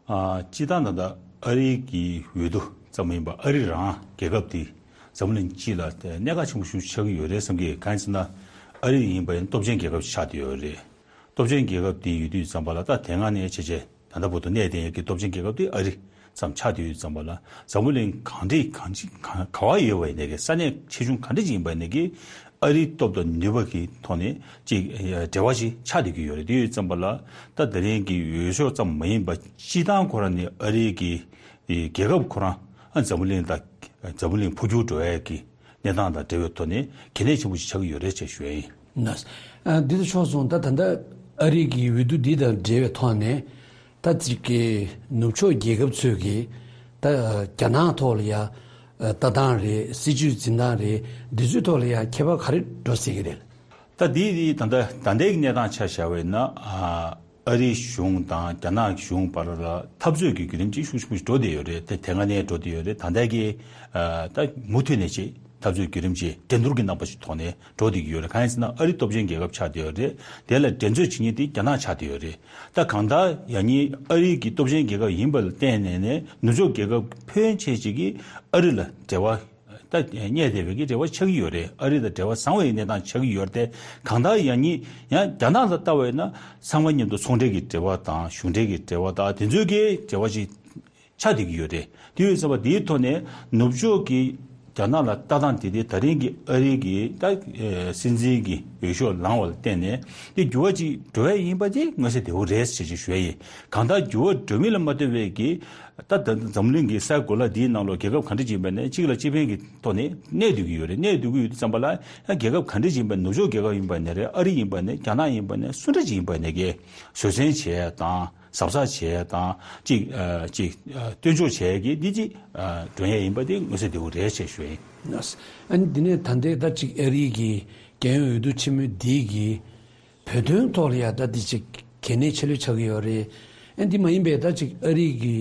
ཨ། སྤྱི་བཏང་ད་ལྟ་ཨ་རིའི་གི་འོས་བསྡུ་ཙམ་མ་ཡིན་པར་ཨ་རི་རང་རྒྱལ་ཁབ་དེ་འཛམ་བུ་གླིང་སྤྱི་ལ་གནད་འགག་ཆེན་པོ་ཞིག་ཆགས་ཀྱི་ཡོད་རེད་བསམ་གི། གང་ཡིན་ཟེར་ན་ཨ་རི་ཡིན་པ་ཡིན་སྟོབས་ཆེན་རྒྱལ་ཁབ་ཆགས་བསྡད་ཡོད་རེད། སྟོབས་ཆེན་རྒྱལ་ཁབ་དེ་ཡོད་དུས་ཙམ་པ་ལ་ད་དེ་སྔ་ནས་བྱས་བྱས་ད་ལྟ་བར་དུ་གནས་བསྡད་ཡོད་ཀྱི་སྟོབས་ཆེན་རྒྱལ་ཁབ་དེ་ཨ་རི་ཙམ་ཆགས་བསྡད་ཡོད་ཙམ་པ་ལ་འཛམ་བུ་གླིང་གང་འདྲ་གང་ཅི་གང་ག་བ་ཡོད་པ་ཡིན་ནའི་གི་ས་གནས་ཆེ་ཆུང་ག་འདྲ་ཅིག་ཡིན་པ་ཡིན་ནའི་གི་ཨ་རིའི་སྟོབས་དང་ནུས་པ་གི་ཐོག་ནས་ཅིག་འབྲེལ་བ་ཞིག་ཆགས་བསྡད་ཀྱི་ཡོད་རེད། དེ་ཡོད་ཙམ་པ་ལ་ད་དེ་རིང་གི་འོས་ཤོག་ཙམ་མ་ཡིན་པ་སྤྱི་བཏང་ཁོ་རང་ནས་ཨ་རིའི་གི་རྒྱལ་ཁབ་ཁོ་རང་འཛམ་བུ་གླིང་དང་འཛམ་བུ་གླིང་འཕོ་འགྱུར་འགྲོ་ཡས་ཀྱི་གནས་སྟངས་དང་འབྲེལ་བའི་ཐོག་ནས་གལ་གནད་ཆེན་པོ་ཞིག་ཆགས་ཀྱི་ཡོད་རེད་ཅེས་ཞུ་ཡ་ཡིན། ན། ཨ། འདི་ལྟར་ཆོག་སོང་། ད་ད་ལྟ་ཨ་རི་གི་འོས་བསྡུ་འདི་དང་འབྲེལ་བའི་ཐོག་ནས་ད་ཅིག་གི་ནུབ་ཕྱོགས་རྒྱལ་ཁབ་ཚོས་ཀྱི་ད་རྒྱ་ནག་ཐོག་ལ་ཡ་ལྟ་སྟངས་རེད། སྲིད་ཇུས་འཛིན་སྟངས་རེད། འདི་ཚོའི་ཐོག་ལ་ཡ་ཁྱད་པར་ག་རེ་འགྲོ་སྲིད་ཀྱི་རེད། ད་འདི་འདི་ད་ལྟ་ད་ལྟའི་གནས་སྟངས་ཆ་བཞག་པ་ཡིན་ན། ཨ། ཨ་རིའི་གཞུང་དང་རྒྱ་ནག་གཞུང་བར་ལ་འཐབ་རྩོད་ཀྱི་བརྒྱུད་རིམ་ཅིག་ཤུགས་ཆེན་པོ་ཞིག་འགྲོ་བསྡད་ཡོད་རེད། དེ་དེ་སྔ་ནས་འགྲོ་བསྡད་ཡོད་རེད། ད་ལྟ་གི་ཨ་ད་མུ་མཐུད་ནས་ཅིག་འཐབ་རྩོད་བརྒྱུད་རིམ་ཅིག་འགྲན་བསྡུར་གྱི་རྣམ་པ་ཞིག་ཐོག་ནས་འགྲོ་བསྡད་ཀྱི་ཡོད་རེད། གང་ཡིན་ཟེར་ན་ཨ་རི་སྟོབས་ཆེན་རྒྱལ་ཁབ་ཆགས་བསྡད་ཡོད་རེད། དེ་ལ་འགྲན་རྩོད་བྱེད་མཁན་དེ་རྒྱ་ནག་ཆགས་བསྡད་ཡོད་རེད། ད་གང་ལྟར་ཡང་སྙིང་ཨ་རི་གི་སྟོབས་ཆེན་རྒྱལ་ཁབ་ཡིན་པ་ལ་བརྟེན་ནས་ནས་ནུབ་ཕྱོགས་རྒྱལ་ཁབ་ཕོན་ཆེ་ཅིག་གིས་ཨ་རི་ལ་འབྲེལ་བ་ད་གནས་བསྡད་པའི་གི་འབྲེལ་བ་ཆགས་ཀྱི་ཡོད་རེད། ཨ་རི་དང་འབྲེལ་བ་བཟང་བའི་གནས་སྟངས་ཆགས་ཀྱི་ཡོད་རེད། དེ་གང་ལྟར་ཡང་སྙིང་ཡང་རྒྱ་ནག་ལ་ལྟ་བས་ན་ཚང་མ་མཉམ་དུ་ཚོང་འབྲེལ་གྱི་འབྲེལ་བ་དང་གཞུང་འབྲེལ་གྱི་འབྲེལ་བ་དང་དེ་ཚོའི་གི་འབྲེལ་བ་ཞིག་ཆགས་བསྡད་ཀྱི་ཡོད་རེད། དེ་ཡོད་ཙམ་པ་དེའི་ཐོག་ནས་ནུབ་ཕྱོགས་ཀྱི་རྒྱ་ནག་ལ་ལྟ་སྟངས་དེ་དེ་ད་རིང་གི་ཨ་རི་གི་ད་སྲིད་འཛིན་གྱི་འོས་ཤོག་ལངས་པ་ལ་བརྟེན་ནས་དེ་འགྱུར་བ་ཅིག་འགྲོ་ཡས་ཡིན་པ་དེ་མངོན་གསལ་དོད་པོ་རེད་ཅེས་ཅིག་ཞུ་ཡས་ཡིན། གང་ལྟར་འགྱུར་བ་འགྲོ་མིན་ལ་མ་ལྟོས་པའི་གི་ད་ད་འཛམ་གླིང་གི་ས་གོ་ལ་འདིའི་ནང་ལོགས་རྒྱལ་ཁབ་ག་འདྲ་ཅིག་ཡིན་པ་ནས་གཅིག་ལ་གཅིག་ཕན་གྱི་ཐོག་ནས་གནས་སྡོད་ཀྱི་ཡོད་རེད། གནས་སྡོད་ཀྱི་ཡོད་དུས་ཙམ་པ་ལ་ཡང་རྒྱལ་ཁབ་ག་འདྲ་ཅིག་ཡིན་པ་ནུབ་ཕྱོགས་རྒྱལ་ཁབ་ཡིན་པ་ནས་རེད། ཨ་རི་ཡིན་པ་ནས་རྒྱ་ནག་ཡིན་པ་ནས་སུ་འདྲ་ཅིག་ཡིན་པ་ནས་གི་བཟོད་བསྲན་བྱས་དང་གཟབ་གཟབ་བྱས་དང་ཅིག་ཨ་ཅིག་ཨ་སྟོན་ཆོག་བྱས་གི་འདི་ཅིག་ཨ་འགྲོ་ཡས་ཡིན་པ་དེ་མངོན་གསལ་དོད་པོ་རེད་ཅེས་ཞུ་ཡིན། ཨ་ནི་འདི་ནས་ད་ལྟའི་ད་ཅིག་ཨ་རི་གི་རྒྱལ་ཡོངས་འོས་བསྡུ་ཆེན་མོ་འདི་གི་བོད་དོན་ཐོག་ལ་ཡང་ད་འདི་ཅིག་གལ་གནད་ཆེ་ལོས་ཆགས་ཀྱི་ཡོད་རེད། ཨ་འདི་མ་ཡིན་པའི་ད་ཅིག་ཨ་རི་གི་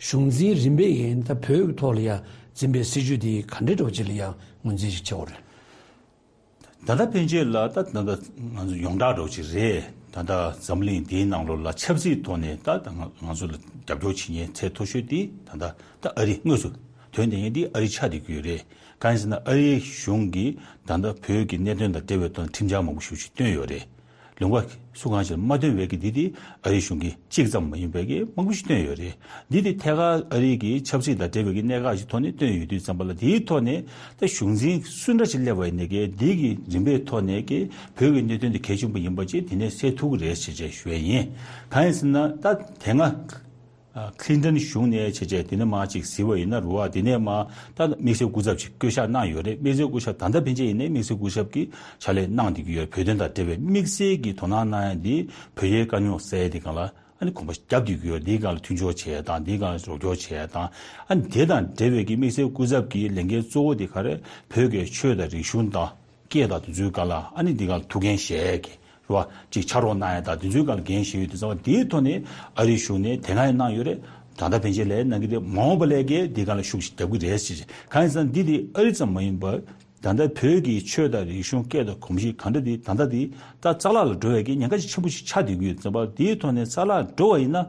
གཞུང་འཛིན་རིམ་པས་ཡིན་ད་བོད་ཀྱི་ཐོག་ལ་ཡང་འཛིན་པའི་སྲིད་ཇུས་འདི་ག་འདྲའི་འདྲ་བོ་ཅིག་ལ་ཡང་ངོས་འཛིན་ཞིག་བྱེད་དགོས་རེད། ད་ལྟ་ཕན་ཆད་ལ་ད་ད་ལྟ་ང་ཚོ་ཡོངས་གྲགས་འདྲ་བོ་ཅིག་རེད། ད་ལྟ་འཛམ་གླིང་འདིའི་ནང་ལོགས་ལ་ཆབ་སྲིད་ཐོག་ནས་ད་ད་ང་ང་ཚོ་ལ་རྒྱབ་སྐྱོར་བྱེད་མཁན་ཚད་མཐོ་ཤོས་དེ་ད་ལྟ་ད་ཨ་རི་དངོས་སུ་དོན་དེ་ཡིན་དེ་ཨ་རི་ཆགས་བསྡད་ཀྱི་ཡོད་རེད། གང་ཡིན་ཟེར་ན་ཨ་རིའི་གཞུང་གིས་ད་ལྟ་བོད་ཀྱི་གནད་དོན་དང་འབྲེལ་བའི་ཐོག་ཁྲིམས་འཆར་མང་པོ་ཞིག་ཞིག་བཏོན་ཡོད་རེད། ལུང་པ་སུ་གང་ཞིག་ལ་མ་བཏོན་པའི་གི་འདི་དེ་ཨ་རིའི་གཞུང་གིས་གཅིག་ཙམ་མ་ཡིན་པའི་གི་མང་པོ་ཞིག་བཏོན་ཡོད་རེད། འདི་དེ་ཐད་ཀར་ཨ་རིའི་གི་ཆབ་སྲིད་དང་འབྲེལ་བའི་གི་གནད་འགག་ཞིག་ཐོག་ནས་བཏོན་ཡོད་དུས་ཙམ་པ་ལ་དེའི་ཐོག་ནས་ད་གཞུང་འཛིན་སུ་འདྲ་ཞིག་སླེབས་པ་ཡིན་ནའི་གི་འདི་གི་རིམ་པའི་ཐོག་ནས་གི་བོད་ཀྱི་གནད་དོན་དེ་གལ་ཆེན་པོ་ཡིན་པ་ཅིག་དེ་ནས་གསལ་ཐུབ་ཀྱི་རེད་ཅེས་ཅེས་ཞུ་ཡས་ཡིན། གང་ཡིན་ཟེར་ན་ད་དེ་སྔ་ཨ་ཁི་ལིན་ཏན་གཞུང་ནས་བྱས་རྗེས་དེ་ནས་མར་ཅིག་གཟིགས་པ་ཡིན་ན་རུ་བ་དེ་ནས་མར་ད་དམིགས་བསལ་སྐུ་ཚབ་ཅིག་བསྐོ་གཞག་གནང་ཡོད་རེད། དམིགས་བསལ་སྐུ་ཚབ་ད་ལྟ་ཕན་ཆད་ཡིན་ནའི་དམིགས་བསལ་སྐུ་ཚབ་ཀྱི་ཕྱག་ལས་གནང་བསྡད་ཀྱི་ཡོད། བོད་དོན་དང་འབྲེལ་བའི་དམིགས་བསལ་གྱི་དོ་སྣང་གནང་ཡ་འདི་བོད་རྒྱའི་དཀའ་རྙོག་སེལ་ཡ་དེ་སྒང་ལ་ཨ་ནི་གོམ་པ་རྒྱབ་བསྡད་ཀྱི་ཡོད། འདིའི་སྒང་ལ་མཐུན་སྦྱོར་བྱས་ཡ་དང་འདིའི་སྒང་ལ་རོགས་སྐྱོར་བྱས་ཡ་དང་ཨ་ནི་དེ་དང་འབྲེལ་བའི་གི་དམིགས་བསལ་སྐུ་ཚབ་ཀྱི་ལས་འགན་གཙོ་བོ་དེ་ག་རེ་བོད་ཀྱི་ཆོས་དང་རིག་གཞུང་དང་སྐད་དང་དེ་ཚོའི་སྒང་ལ་ཨ་ནི་འདི་སྒང་ལ་ཐུགས་འགན་བཞེས་ཀྱི་རེད་བ། ཅིག་ཕྱག་རོགས་གནང་ཡ་དང་དེ་ཚོའི་སྒང་ལ་འགན་བཞེས་ཡོད་དུས་ཙང་དེའི་ཐོག་ནས་ཨ་རིའི་གཞུང་ནས་དེ་སྔ་ཡང་གནང་ཡོད་རེད། ད་ལྟ་ཕན་ཆད་ལས་གནང་གི་རེད། མ་འོངས་པ་ལས་ཀའི་འདི་སྒང་ལ་ཤུགས་ཤིག་རྒྱབ་ཀྱི་རེད་ཟེར། གང་ཡིན་ཟེར་ན་འདི་དེ་ཨ་རི་ཙམ་མ་ཡིན་པར་ད་ལྟ་བོད་ཀྱི་ཆོས་དང་རིག་གཞུང་སྐད་དང་གོམས་གཤིས་གང་འདྲ་དེ་ད་ལྟ་དེ་ད་རྩ་བརླག་ལ་འགྲོ་བའི་གི་ཉེན་ཁ་ཆེན་པོ་ཞིག་ཆགས་བསྡད་ཀྱི་ཡོད་ཙང་པ་དེའི་ཐོག་ནས་རྩ་བརླག་འགྲོ་བ་ཡིན་ན།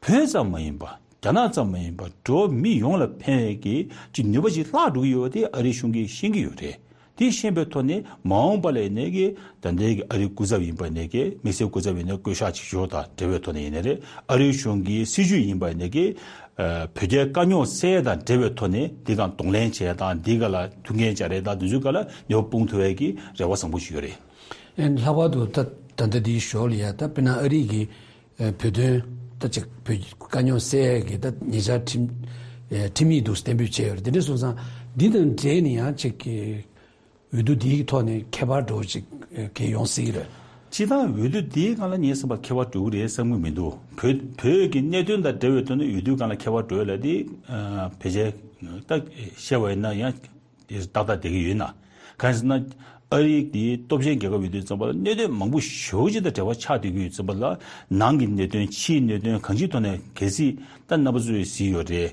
བོད་ཙམ་མ་ཡིན་པར་རྒྱ་ནག་ཙམ་མ་ཡིན་པར་འགྲོ་བ་མི་ཡོངས་ལ་ཕན་པའི་གི་ཅིག་ནུས་པ་ཅིག་བརླག་འགྲོ་གི་ཡོད་པ་དེ་ཨ་རིའི་གཞུང་གིས་ཤེས་ཀྱི་ཡོད་རེད། དེ་ཤེས་པའི་ཐོག་ནས་མ་འོངས་པ་ལ་ཡིན་ནའི་གི་ད་ལྟའི་གི་ཨ་རིའི་སྐུ་ཚབ་ཡིན་པ་ཡིན་ནའི་གི་དམིགས་བསལ་སྐུ་ཚབ་ཡིན་ནའི་བསྐོ་གཞག་བྱེད་ཕྱོགས་དང་འབྲེལ་བའི་ཐོག་ནས་ཡིན་ནའི་རེད། ཨ་རིའི་གཞུང་གི་སྲིད་བྱུས་ཡིན་པ་ཡིན་ནའི་གི་ཨ་བོད་རྒྱའི་དཀའ་རྙོག་སེལ་ཡས་དང་འབྲེལ་བའི་ཐོག་ནས་འདི་གང་གདོང་ལེན་བྱས་དང་འདི་ག་ལ་ཐུགས་འགན་སྦྱར་ཡས་དང་འདི་ཚོའི་སྒང་ལ་ནུས་པ་སྤུངས་ཐུབ་ཡས་ཀྱི་རེ་བ་བཟང་པོ་ཞིག་ཡོད་རེད། ཨེ་ལྷག་པར་དུ་ད་ད་ལྟ་འདིའི་ཞོར་ལ་ཡ་ད་དཔེར་ན་ཨ་རི་གི་ཨེ་བོད་དོན་ད་ཅིག་བོད་དཀའ་རྙོག་སེལ་ཡས་ཀྱི་ད་ཉེ་ཆར་ཁྲིམས་ཨེ་ཁྲིམས་ཡིག་འདུག་གཏན་འབེབས་བྱས་ཡོད་རེད། དེ་འདྲ་སོང་ཙང་འདི་དང་འབྲེལ་ནས་ཡང་ཅིག་གི་འོས་བསྡུ་འདིའི་ཐོག་ནས་ཁྱད་པར་འདྲ་བོ་ཅིག་ཨེ་གལ་ཡོང་སྲིད་ཀྱི་རེད། སྤྱིར་བཏང་འོས་བསྡུ་འདིའི་སྒང་ལ་ངས་བསམ་པ་ཁྱད་པར་འགྲོ་གི་རེད་བསམ་གྱི་མི་འདུག་བོད་བོད་ཀྱི་གནད་དོན་དང་འབྲེལ་བའི་ཐོག་ནས་འོས་བསྡུའི་སྒང་ལ་ཁྱད་པར་འགྲོ་ཡས་ལ་དེ་ཨ་ཕལ་ཆེར་ད་བཤད་པ་ཡིན་ན་ཡང་དེ་ཏག་ཏག་བསྡད་ཀྱི་ཡོད་ན། གང་ཡིན་ཟེར་ན་ཨ་རི་དེ་སྟོབས་ཆེན་རྒྱལ་ཁབ་ཡིན་དུས་ཙམ་པ་ལ་གནད་དོན་མང་པོ་ཞེ་པོ་ཅིག་དང་འབྲེལ་བ་ཆགས་བསྡད་ཀྱི་ཡོད་ཙམ་པ་ལ་ནང་གི་གནད་དོན་ཕྱིའི་གནད་དོན་གང་ཅིའི་ཐོག་ནས་གལ་སྲིད་ད་རྣམ་པ་ཚོས་གཟིགས་ཡོད་རེད།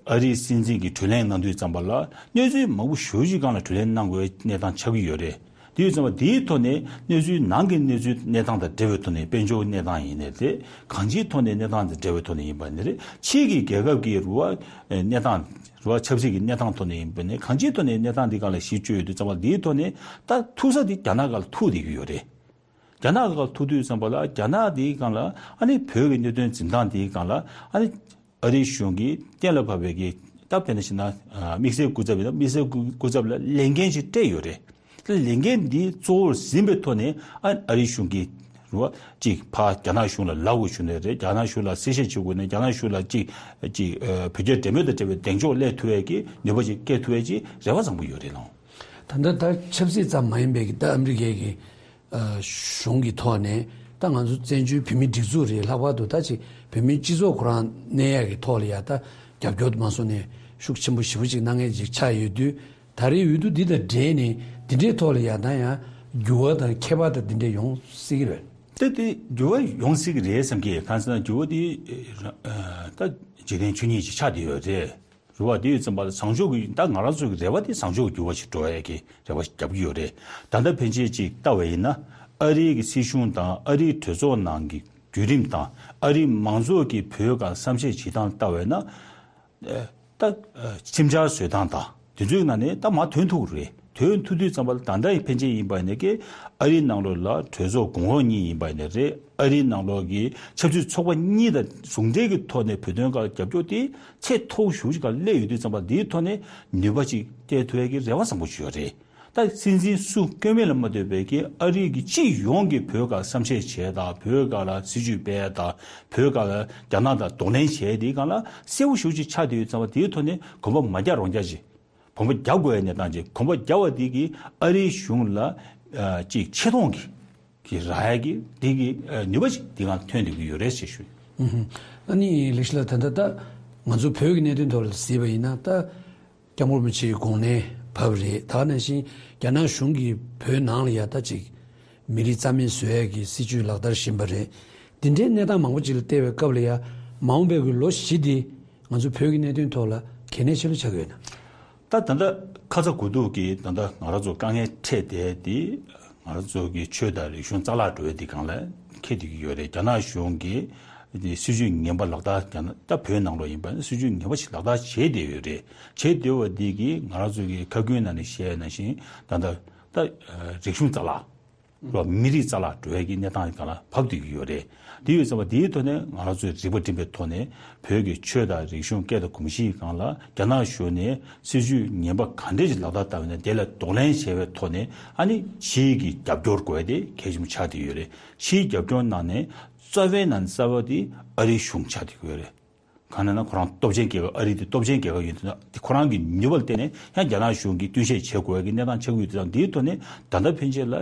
ཨ་རིའི་སྲིད་འཛིན་གྱིས་གྲོས་གླེང་གནང་དུས་ཙམ་པ་ལ་གནས་ཚུལ་མང་པོ་ཞེ་པོ་ཅིག་སྒང་ལ་གྲོས་གླེང་གནང་དགོས་པའི་གནས་སྟངས་ཆགས་ཀྱི་ཡོད་རེད། དེ་ཡོད་ཙམ་པ་དེའི་ཐོག་ནས་གནས་ཚུལ་ནང་གི་གནས་ཚུལ་གནས་སྟངས་དང་འབྲེལ་བའི་ཐོག་ནས་དཔལ་འབྱོར་གནས་སྟངས་ཡིན་ནའི་རེད། གང་ཅིའི་ཐོག་ནས་གནས་སྟངས་དང་འབྲེལ་བའི་ཐོག་ནས་ཡིན་པ་ནི་རེད། ཕྱིའི་གི་རྒྱལ་ཁབ་ཀྱི་རུ་བ་གནས་སྟངས་རུ་བ་ཆབ་སྲིད་ཀྱི་གནས་སྟངས་ཐོག་ནས་ཡིན་པ་ནི་གང་ཅིའི་ཐོག་ནས་གནས་སྟངས་འདི་སྒང་ལ་གཞི་བཅོལ་ཡོད་དུས་ཙམ་པ་དེའི་ཐོག་ནས་ད་ཐུག་ས་དེ་རྒྱ་ནག་སྒང་ལ་ཐུག་བསྡད་ཀྱི་ཡོད་རེད། རྒྱ་ནག་སྒང་ལ་ཐུག་དུས་ཙམ་པ་ལ་རྒྱ་ནག་དེའི་སྒང་ལ་ཨ་ནི་བོད་ཀྱི་གནད་དོན་འཛིན་སྟངས་དེའི་སྒང་ལ་ཨ་ནི་ཨ་རིའི་གཞུང་གིས་གཏན་ལ་ཕབ་པའི་གི་སྟབས་བདེ་ན་ཞིག་ན་དམིགས་བསལ་སྐུ་ཚབ་ཡིན་ན་དམིགས་བསལ་སྐུ་ཚབ་ལ་ལས་འགན་ཞིག་སྤྲད་ཡོད་རེད། ལས་འགན་འདི་གཙོ་བོར་འཛིན་པའི་ཐོག་ནས་ཨ་ཨ་རིའི་གཞུང་གིས་རེད་བ། གཅིག་ཕར་རྒྱ་ནག་གཞུང་ལ་ལབ་དགོས་བྱུང་ནའི་རེད། རྒྱ་ནག་གཞུང་ལ་གསལ་བཤད་བྱེད་དགོས་ནའི་རྒྱ་ནག་གཞུང་ལ་གཅིག་གཅིག་བོད་རྒྱ་འབྲེལ་མོལ་དང་འབྲེལ་བའི་གདེང་འཇོག་སླེབས་ཐུབ་ཡས་ཀྱི་ནུས་པ་ཅིག་སྐྱེ་ཐུབ་ཡས་ཀྱི་རེ་བ་བཟང་པོ་ཡོད་རེད་ལགས། ད་ལྟ་ད་ཆབ་སྲིད་ཙམ་མ་ཡིན་པའི་གི་ད་ཨ་མི་རི་ཀའི་གི་གཞུང་གི་ཐོག་ནས་ད་ང་ཚོ་བཙན་བྱོལ་བོད་མིའི་སྒྲིག་འཛུགས་རེད། ལྷག་པར་དུ་ད་ཅིག་བོད་མིའི་སྤྱི་ཚོགས་ཁོ་རང་གནས་ཡག་གི་ཐོག་ལ་ཡ་ད་རྒྱབ་སྐྱོར་དུ་མ་སོང་ནས་ཤུགས་ཆེན་པོ་ཞེ་པོ་ཅིག་གནང་མཁན་ཅིག་ཆགས་ཡོད་དུས། ད་རེས་འོས་བསྡུ་འདི་དང་འབྲེལ་ནས་འདི་འདྲའི་ཐོག་ལ་ཡ་ད་ཡང་འགྱུར་བ་དང་ཁྱད་པར་དང་འདི་འདྲ་ཡོང་སྲིད་ཀྱི་རེད། ད་དེ་འགྱུར་བ་ཡོང་སྲིད་ཀྱི་རེད་བསམ་གྱི། གང་ཟེར་ན་འགྱུར་བ་དེ་ད་འཇིག་རྟེན་ཆོས་ཉིད་ཅིག་ཆགས་བསྡད་ཡོད་རེད། རེད་བ། དེ་ཡོད་ཙམ་པ་ལ་བཟང་ཕྱོགས་ཀྱི་ད་ང་རང་ཚོ་གི་རེ་བ་དེ་བཟང་ཕྱོགས་ཀྱི་འགྱུར་བ་ཞིག་འགྲོ་ཡས་ཀྱི་རེ་བ་ཞིག་རྒྱབ་ཀྱི་ཡོད་རེད། ད་ལྟ་ཕན་ཆད་ཅིག་ལྟ་བ་ཡིན་ན་ཨ་རིའི་གི་སྲིད་གཞུང་དང་ཨ་རིའི་གྲོས་ཚོགས་ནང་གི་བརྒྱུད་རིམ་དང་ཨ་རིའི་མང་ཚོགས་ཀྱི་བོད་སྒང་བསམ་ཤེས་བྱེད་སྟངས་ལྟ་བས་ན། ད་ཁྲིམས་འཆར་བཟོས་སྟངས་དང་དེ་ཚོའི་ནང་ནས་ད་མར་ཐོན་ཐུབ་རེད། ཐོན་ཐུབ་དུས་ཙམ་པ་ལ་ད་ལྟ་ཡི་ཕན་ཆད་ཡིན་པ་ཡིན་ན་ཀྱི་ཨ་རིའི་ནང་ལོགས་ལ་གྲོས་ཚོགས་གོང་འོག་གཉིས་ཡིན་པ་ཡིན་ན་རེད། ཨ་རིའི་ནང་ལོགས་ཀྱི་ཆབ་སྲིད་ཚོགས་པ་གཉིས་དང་ཟུང་འབྲེལ་གྱི་ཐོག་ནས་བོད་དོན་སྒང་རྒྱབ་སྐྱོར་དེ་ཚད་མཐོ་ཤོས་ཅིག་སྒང་སླེབས་ཡོད་དུས་ཙམ་པ་འདིའི་ཐོག་ནས་ནུས་པ་ཅིག་སྟེར་ཐུབ་ཡས་ཀྱི་རེ་བ་བཟང་པོ་ཞིག་ཡོད་རེད། ད་སྲིད་འཛིན་སུ་བསྐོས་མིན་ལ་མ་ལྟོས་པའི་གི་ཨ་རི་གི་སྤྱི་ཡོངས་ཀྱི་བོད་སྒང་བསམ་ཤེས་བྱས་དང་བོད་སྒང་ལ་སྲིད་ཇུས་སྤེལ་དང་བོད་སྒང་ལ་རྒྱ་ནག་དང་གདོང་ལེན་བྱས་དེའི་སྒང་ལ་གསལ་པོ་ཞེ་པོ་ཅིག་ཆགས་བསྡད་ཡོད་ཙང་བ་དེའི་ཐོག་ནས་གོམ་པ་མ་རྒྱག་རོགས་རྒྱག་ཅིག་གོམ་པ་རྒྱག་དགོས་ཡ་གནས་སྟངས་ཅིག་གོམ་པ་རྒྱག་པ་དེ་གིས་ཨ་རིའི་གཞུང་ལ་ཅིག་ཆེ་མཐོང་གི་གི་རག་ཡ་གི་དེ་གི་ནུས་པ་ཅིག་དེ་སྒང་ཐོན་བསྡད་ཀྱི་ཡོད་རེད་ཅེས་ཞུ། ཨ་ནི་ལེགས་བཤད་ལགས། ད་ལྟ་ད་ང་ཚོ་བོད་ཀྱི་གནད་དོན་ཐོག་ལ་གཟིགས་པ་ཡིན་ན་ད། སྐྱབས་མགོན་རིན་པོ་ཆེའི་དགོངས་ནས་བབས་རེད། ད་ག་ནང་བཞིན་རྒྱ་ནག་གཞུང་གིས་བོད་ནང་ལ་ཡ་ད་ཅིག་མི་རིགས་རྩ་མེད་བཟོ་ཡས་ཀྱི་སྲིད་ཇུས་ལག་བསྟར་བཞིན་པ་རེད། འདི་འདྲའི་གནས་སྟངས་མང་པོ་ཅིག་ལ་བལྟས་པའི་སྐབས་ལ་ཡ་མ་འོངས་པའི་གི་ལོ་བཞི་འདི་ང་ཚོ་བོད་ཀྱི་གནད་དོན་ཐོག་ལ་གལ་གནད་ཆེ་ལོས་ཆགས་ཀྱི་ཡོད་ན། ད་ད་ལྟ་ཁ་ཚ་དགོས་གཏུགས་ཀྱི་ད་ལྟ་ང་རང་ཚོ་དཀའ་ངལ་འཕྲད་བསྡད་དེ། ང་རང་ཚོ་གི་ཆོས་དང་རིག་གཞུང་རྩ་བརླག་འགྲོ་ཡ་འདི་སྒང་ལ་འཁེལ་བསྡད་ཀྱི་ཡོད་རེད། རྒྱ་ནག་གཞུང་གིས་སྲིད་ཇུས་ངན་པ་ལག་བསྟར་རྒྱ་ནག་ད་བོད་ནང་ལོགས་ཡིན་པ་ན་སྲིད་ཇུས་ངན་པ་ཞིག་ལག་བསྟར་བྱས་བསྡད་ཡོད་རེད། བྱས་བསྡད་པ་འདི་གིས་ང་རང་ཚོ་གི་ཁ་ཀུན་ནང་ནས་བཤད་ཡ་ནང་བཞིན་ད་ལྟ་ད་རིག་གཞུང་རྩ་བརླག་རོ་མི་རིགས་རྩ་བརླག་འགྲོ་ཡ་གི་གནས་སྟངས་སྒང་ལ་བབས་བསྡད་ཀྱི་ཡོད་རེད། དེ་ཡོད་ཙང་བ་དེའི་ཐོག་ནས་ང་རང་ཚོས་རིག་པ་སྒྲིམ་པའི་ཐོག་ནས་བོད་ཀྱི་ཆོས་དང་རིག་གཞུང་སྐད་དང་གོམས་གཤིས་སྒང་ལ་རྒྱ་ནག་གཞུང་ནས་སྲིད་ཇུས་ངན་པ་ག་འདྲས་ཞིག་ལག་བསྟར་བཏང་བ་ཡིན་ན་དེ་ལ་གདོང་ལེན་བྱས་པའི་ཐོག་ནས་ཨ་ནི་ཕྱིའི་གི་རྒྱབ་སྐྱོར་དགོས་ཡ་དེ་གལ་ཆེན་པོ་ཆགས་བསྡད་ཡོད་རེད། ཕྱིའི་རྒྱབ་སྐྱོར་ནང་ནས་རྩ་བའི་ནང་ནས་རྩ་བ་དེ་ཨ་རིའི་གཞུང་ཆགས་བསྡད་ཡོད་རེད། གང་ལབ་ན་ཁོ་རང་སྟོབས་ཆེན་རྒྱལ་ཁབ་ཨ་རི་དེ་སྟོབས་ཆེན་རྒྱལ་ཁབ་ཡིན་དུས་ན་དེ་ཁོ་རང་གི་ནུས་པ་ལ་བརྟེན་ནས་ཡང་རྒྱ་ནག་གཞུང་གིས་བསྟུན་ཤེས་བྱེད་དགོས་ཡ་གི་གནས་སྟངས་ཆགས་ཀྱི་ཡོད་དུས་ཙང་དེའི་ཐོག་ནས་ད་ལྟ་ཕན་ཆད་ལ་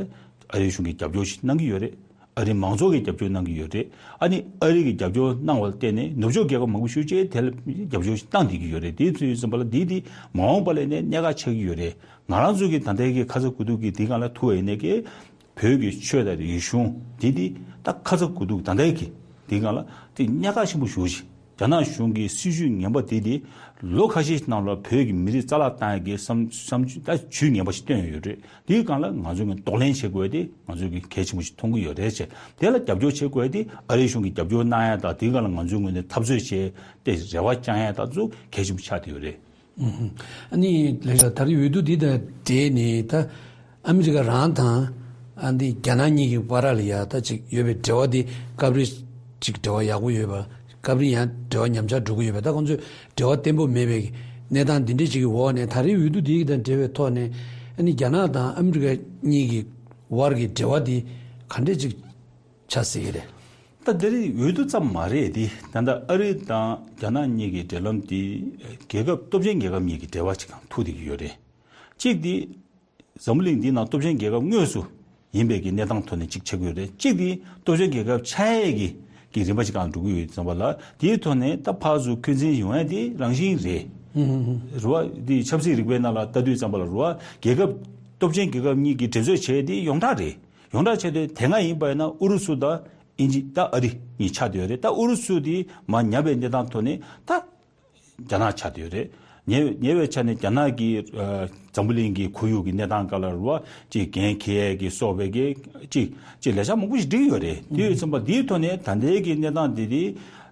ཨ་རིའི་གཞུང་གིས་རྒྱབ་སྐྱོར་ཞིག་གནང་གི་ཡོད་རེད། ཨ་རིའི་མང་ཚོགས་ཀྱིས་རྒྱབ་སྐྱོར་གནང་གི་ཡོད་རེད། ཨ་ནི་ཨ་རི་གིས་རྒྱབ་སྐྱོར་གནང་བ་ལ་བརྟེན་ནས་ནུབ་ཕྱོགས་རྒྱལ་ཁབ་མང་པོ་ཤོས་ཅིག་དེ་ལ་རྒྱབ་སྐྱོར་ཞིག་བཏང་བསྡད་ཀྱི་ཡོད་རེད། དེའི་ཚོད་ཡོད་ཙམ་པ་ལ་དེ་དེ་མ་འོངས་པ་ལ་ནས་གནད་འགག་ཆགས་ཀྱི་ཡོད་རེད། ང་རང་ཚོ་གི་ད་ལྟའི་གི་ཁ་ཚ་དགོས་གཏུགས་ཀྱི་དེ་སྒང་ལ་ཐུག་པ་ཡིན་ནའི་གི་བོད་ཀྱི་ཆོས་དང་རིག་གཞུང་དེ་དེ་ད་ཁ་ཚ་དགོས་གཏུགས་ད་ལྟའི་གི་དེ་སྒང་ལ་དེ་གནད་འགག་ཆེན་པོ་ཞེ་པོ་ཅིག་རྒྱ་ནག་གཞུང་གི་སྲིད་ཇུས་ངན་པ་དེ་དེ་ལོ་ཁ་ཤས་ནང་ལ་བོད་ཀྱི་མི་རིགས་རྩ་བརླག་བཏང་ཡ་གི་བསམ་བསམ་ད་ཇུས་ངན་པ་ཞིག་བཏོན་ཡོད་རེད། དེའི་སྒང་ལ་ང་ཚོ་གི་གདོང་ལེན་བྱེད་དགོས་ཡ་དེ་ང་ཚོ་གི་གལ་ཆེན་པོ་ཞིག་མཐོང་གི་ཡོད་རེད་ཅེས། དེ་ལ་རྒྱབ་སྐྱོར་བྱེད་དགོས་ཡ་དེ་ཨ་རིའི་གཞུང་གིས་རྒྱབ་སྐྱོར་གནང་ཡ་དང་དེའི་སྒང་ལ་ང་ཚོའི་ངོས་ནས་འཐབ་རྩོད་བྱས་ཏེ་རེ་བ་བཅང་ཡ་དང་ཚོ་གལ་ཆེན་པོ་ཆགས་བསྡད་ཡོད་རེད། ཨུ་ཧུ། ཨ་ནི་ལེགས་ལགས། ད་རེས་འོས་བསྡུ་འདི་དང་འབྲེལ་ནས་ད་ ཨ་མི་རི་ཀ་རང་དང་ཨ་འདི་རྒྱ་ནག་གཉིས་ཀྱི་བར་ལ་ཡ་ད་ཅིག་ཡོད་པའི་འབྲེལ་བ་འདི་སྐབས་རེ་ཅིག་འབྲེལ་བ་ཡག་པོ་ཡོད་པ། སྐབས་རེ་ཡང་འབྲེལ་བ་ཉམས་ཆག་འགྲོ་གི་ཡོད་པ། ད་ཁོང་ཚོས་འབྲེལ་བ་བརྟན་པོ་མེད་པའི་གནས་སྟངས་འདི་འདྲ་ཅིག་གི་འོག་ནས། ད་རེས་འོས་བསྡུ་འདི་དང་འབྲེལ་བའི་ཐོག་ནས་ཨ་ནི་རྒྱ་ནག་དང་ཨ་མི་རི་ཀ་གཉིས་ཀྱི་བར་གྱི་འབྲེལ་བ་འདི་ག་འདྲས་ཅིག་ཆགས་སྲིད་ཀྱི་རེད། ད་འདི་རིགས་འོས་བསྡུ་ཙམ་མ་རེད་དེ། ད་ལྟ་ཨ་རི་དང་རྒྱ་ནག་གཉིས་ཀྱི་འབྲེལ་ལམ་དེ་རྒྱལ་ཁབ་སྟོབས་ཆེན་རྒྱལ་ཁབ་གཉིས་ཀྱི་འབྲེལ་བ་ཅིག་དང་ཐུག་བསྡད་ཀྱི་ཡོད་རེད། གཅིག་དེ་འཛམ་བུ་གླིང་འདིའི་ནང་སྟོབས་ཆེན་རྒྱལ་ཁབ་དངོས་སུ་ཡིན་པའི་གི་གནས་སྟངས་ཐོག་ནས་གཅིག་ཆགས་ཀྱི་ཡོད་རེད། གཅིག་དེ་སྟོབས་ཆེན་རྒྱལ་ཁབ་ཆགས་ཡས་ཀྱི་གི་རིམ་པ་ཅིག་སྒང་འགྲོ་གི་ཡོད་ཙམ་པ་ལ། དེའི་ཐོག་ནས་ད་ཕར་ཚུར་འཁོན་འཛིན་ཡོང་ཡས་དེ་རང་བཞིན་རེད། རེད་བ། དེ་ཆབ་སྲིད་རིག་པའི་ནང་ལ་ལྟ་དུས་ཙམ་པ་ལ་རེད་བ། རྒྱལ་ཁབ་སྟོབས་ཆེན་རྒྱལ་ཁབ་གཉིས་ཀྱི་འགྲན་རྩོད་བྱས་དེ་ཡོངས་གྲགས་རེད། ཡོངས་གྲགས་བྱས་དུས་དེ་སྔ་ཡིན་པ་ཡིན་ན་ཨུ་རུ་སུ་དང་ཨིན་ཇི་ད་ཨ་རི་གཉིས་ཆགས་བསྡད་ཡོད་རེད། ད་ཨུ་རུ་སུ་དེ་མར་ཉམས་པའི་གནས་སྟངས་ཐོག་ནས་ད་རྒྱ་ནག་ཆགས་བསྡད་ཡོད་རེད། ཉེ་ཉེ་བའི་ཆ་ནས་རྒྱ་ནག་གིས་ཨ་འཛམ་བུ་གླིང་གི་ཁོར་ཡུག་གི་གནས་སྟངས་སྒང་ལ་རེད་བ། ཅིག་འགན་འཁྱེར་ཡས་ཀྱི་སོགས་པའི་གི་ཅིག་ཅིག་ལས་འཆར་མང་པོ་ཞིག་བསྒྲིགས་ཡོད་རེད། དེ་ཡོད་ཙམ་པ་དེའི་ཐོག་ནས་ད་ལྟའི་གི་གནས་སྟངས་དེ་དེ་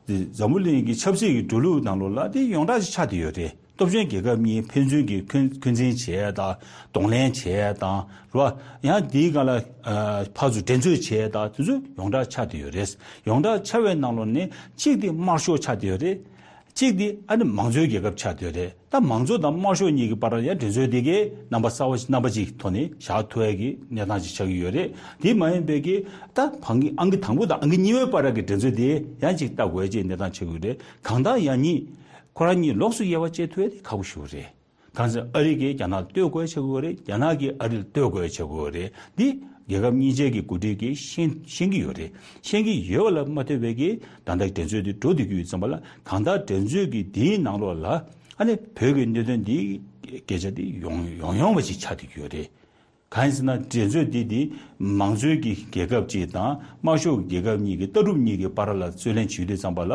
འཛམ་བུ་གླིང་གི་ཆབ་སྲིད་ཀྱི་འགྲོ་ལུགས་ནང་ལོགས་ལ་དེ་ཡོངས་གྲགས་ཤིག་ཆགས་བསྡད་ཡོད་རེད། སྟོབས་ཆེན་རྒྱལ་ཁབ་གཉིས་ཕན་ཚུན་གྱི་འཁོན་འཁོན་འཛིན་བྱས་དང་གདོང་ལེན་བྱས་དང་རེད་བ། ཡང་དེའི་སྒང་ལ་ཨ་ཕར་ཚུར་འགྲན་རྩོད་བྱས་དང་དེ་ཚོ་ཡོངས་གྲགས་ཆགས་བསྡད་ཡོད་རེད། ཡོངས་གྲགས་ཆགས་པའི་ནང་ལོགས་ནས་གཅིག་དེ་དམར་ཤོག་ཆགས་བསྡད་ཡོད་རེད། གཅིག་དེ་ཨ་ནི་མང་གཙོའི་རྒྱལ་ཁབ་ཆགས་བསྡད་ཡོད་རེད། ད་མང་གཙོ་དང་དམར་ཤོག་གཉིས་ཀྱི་བར་ལ་ཡང་འགྲན་རྩོད་དེ་གའི་རྣམ་པ་གསར་བ་རྣམ་པ་གཅིག་ཐོག་ནས་བཞག་ཐུབ་ཡས་ཀྱི་གནས་སྟངས་ཅིག་ཆགས་ཀྱི་ཡོད་རེད། དེ་མ་ཡིན་པའི་གི་ད་ཕང་གི་ཨང་ཀི་དང་པོ་དང་ཨང་ཀི་གཉིས་པའི་བར་གྱི་འགྲན་རྩོད་དེ་ཡང་ཅིག་ལྟ་དགོས་ཀྱི་གནས་སྟངས་ཆགས་ཀྱི་ཡོད་རེད། གང་ལྟར་ཡང་གཉིས་ཁོ་རང་གཉིས་ལོགས་སུ་དབྱེ་བ་འབྱེད་ཐུབ་ཡས་དེ་ཁག་པོ་ཞིག་རེད། གང་ཟེར་ཨ་རི་གིས་རྒྱ་ནག་ལ་གཏོར་དགོས་ཆགས་ཀྱི་ཡོད་རེད། རྒྱ་ནག་གིས་ཨ་རི་ལ་གཏོར་དགོས་ཆགས་ཀྱི་ཡོད་རེད། འདི་རྒྱལ་ཁབ་གཉིས་ཆའི་གི་འགོ་ཁྲིད་ཀྱིས་ཤེས་ཤེས་ཀྱི་ཡོད་རེད། ཤེས་ཀྱི་ཡོད་པ་ལ་མ་ལྟོས་པའི་གི་ད་ལྟ་འགྲན་རྩོད་འདི་འགྲོ་བསྡད་ཀྱི་ཡོད་ཙམ་པ་ལ། གང་ལྟར་འགྲན་རྩོད་ཀྱི་འདིའི་ནང་ལོགས་ལ་ཨ་ནི་བོད་ཀྱི་གནད་དོན་འདིའི་སྐད་ཆ་འདི་ཡོང་ཡོང་ཡོང་བ་ཞིག་ཆགས་བསྡད་ཀྱི་ཡོད་རེད། གང་ཡིན་ཟེར་ན་འགྲན་རྩོད་འདི་འདི་མང་གཙོའི་གི་རྒྱལ་ཁབ་ཅིག་དང་དམར་ཤོག་གི་རྒྱལ་ཁབ་གཉིས་ཀྱི་ལྟ་གྲུབ་གཉིས་ཀྱི་བར་ལ་རྩོད་ལེན་བྱེད་དུས་ཙམ་པ་ལ།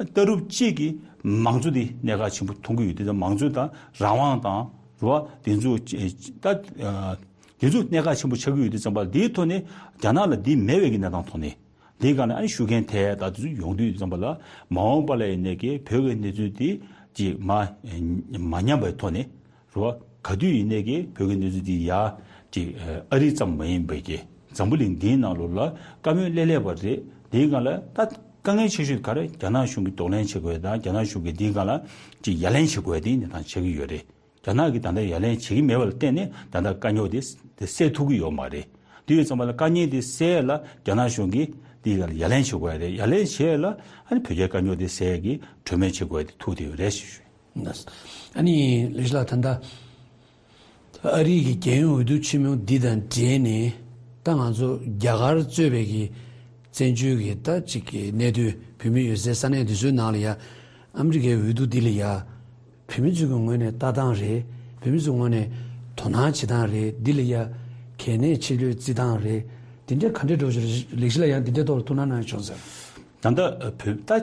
ལྟ་གྲུབ་གཅིག་གིས་མང་གཙོ་འདི་གནད་འགག་ཆེན་པོ་མཐོང་གི་ཡོད་དུས་དང་། མང་གཙོ་དང་རང་དབང་དང་རེད་བ། དེ་ཚོ་ད་དེ་ཚོ་གནད་འགག་ཆེན་པོ་ཆགས་ཀྱི་ཡོད་དུས་ཙམ་པ་ལ། འདིའི་ཐོག་ནས་རྒྱ་ནག་ལ་འདི་མེད་པའི་གི་གནས་སྟངས་ཐོག་ནས། འདིའི་སྒང་ནས་ཨ་ནི་ཤུགས་རྐྱེན་ཐེབས་ཡ་ད་དེ་ཚོ་ཡོང་དུས་ཙམ་པ་ལ། མ་འོངས་པ་ལ་ཡིན་ནའི་གི་བོད་ཀྱི་གནས་ཚུལ་འདི་ཅིག་མ་མ་ཉམས་པའི་ཐོག་ནས་རེད་བ། ག་དུས་ཡིན་ནའི་གི་བོད་ཀྱི་གནས་ཚུལ་འདི་ཡར་ཅིག་ཨ་རི་ཙམ་མ་ཡིན་པའི་གི་འཛམ་བུ་གླིང་འདིའི་ནང་ལོགས་ལ་བཀའ་མོལ་སླེབས་སླེབས་པ་རེད། འདིའི་སྒང་ལ་ད་དཀའ་ངལ་ཆེ་ཤོས་ག་རེ། རྒྱ་ནག་གཞུང་གིས་གདོང་ལེན་བྱེད་དགོས་དང་། རྒྱ་ནག་གཞུང་གིས་འདིའི་སྒང་ལ་ཅིག་ཡ་ལན་བྱེད་དགོས་དེ་གནས་སྟངས་ཆགས་ཀྱི་ཡོད་རེད། རྒྱ་ནག་གིས་ད་ལྟ་ཡ་ལན་བྱེད་ཀྱི་མེད་པ་ལ་བརྟེན་ནས་ད་ལྟ་དཀའ་རྙོག་དེ་དེ་སེལ་ཐུབ་ཀྱི་ཡོད་མ་རེད། དེ་ཡོད་ཙམ་པ་ལ་དཀའ་ངལ་དེ་སེལ་ཡ་ལ་རྒྱ་ནག་གཞུང་གིས་དེ་ལ་ཡ་ལན་བྱེད་དགོས་ཡ་རེད། ཡ་ལན་བྱེད་ཡ་ལ་ཨ་ནི་བོད་རྒྱའི་དཀའ་རྙོག་དེ་སེལ་ཡ་གི་གྲོས་མོལ་བྱེད་དགོས་ཡ་དེ་ཐུག་བསྡད་ཡོད་རེད་ཞུ་ཞུ། ཨ་ནི་ལེགས་བཤད་ལགས། ད་ལྟ་ཨ་རི་གི་རྒྱལ་ཡོངས་འོས་བསྡུ་ཆེན་མོ་འདི་དང་འབྲེལ་ནས། ད་ང་ཚོ་རྒྱ་གར་གཙོས་པའི་གི་བཙན་བྱོལ་གྱི་ད་ཅིག་གི་གནད་དོན། བོད་མི་ཡོད་སའི་ས་གནས་འདི་ཚོའི་ནང་ལ་ཡ་ཨ་མི་རི་ཀའི་འོས་བསྡུ་འདི་ལ་ཡ་བོད་མི་ཚོའི་གི་ངོས་ནས་ལྟ་སྟངས་རེད། བོད་མི་ཚོའི་ངོས་ནས་དོ་སྣང་བྱེད་སྟངས་རེད། འདི་ལ་ཡ་གལ་གནད་ཆེ་ལོས་བརྩི་སྟངས་རེད། འདི་འདྲ་ག་འདྲ་འགྲོ་བཞིན་རེད། ལེགས་བཤད་ལགས་ཡང་འདི་འདྲའི་ཐོག་ལ་ཐུགས་སྣང་གནང་བྱུང་ཟེར། ད་ལྟ་བོད་ད་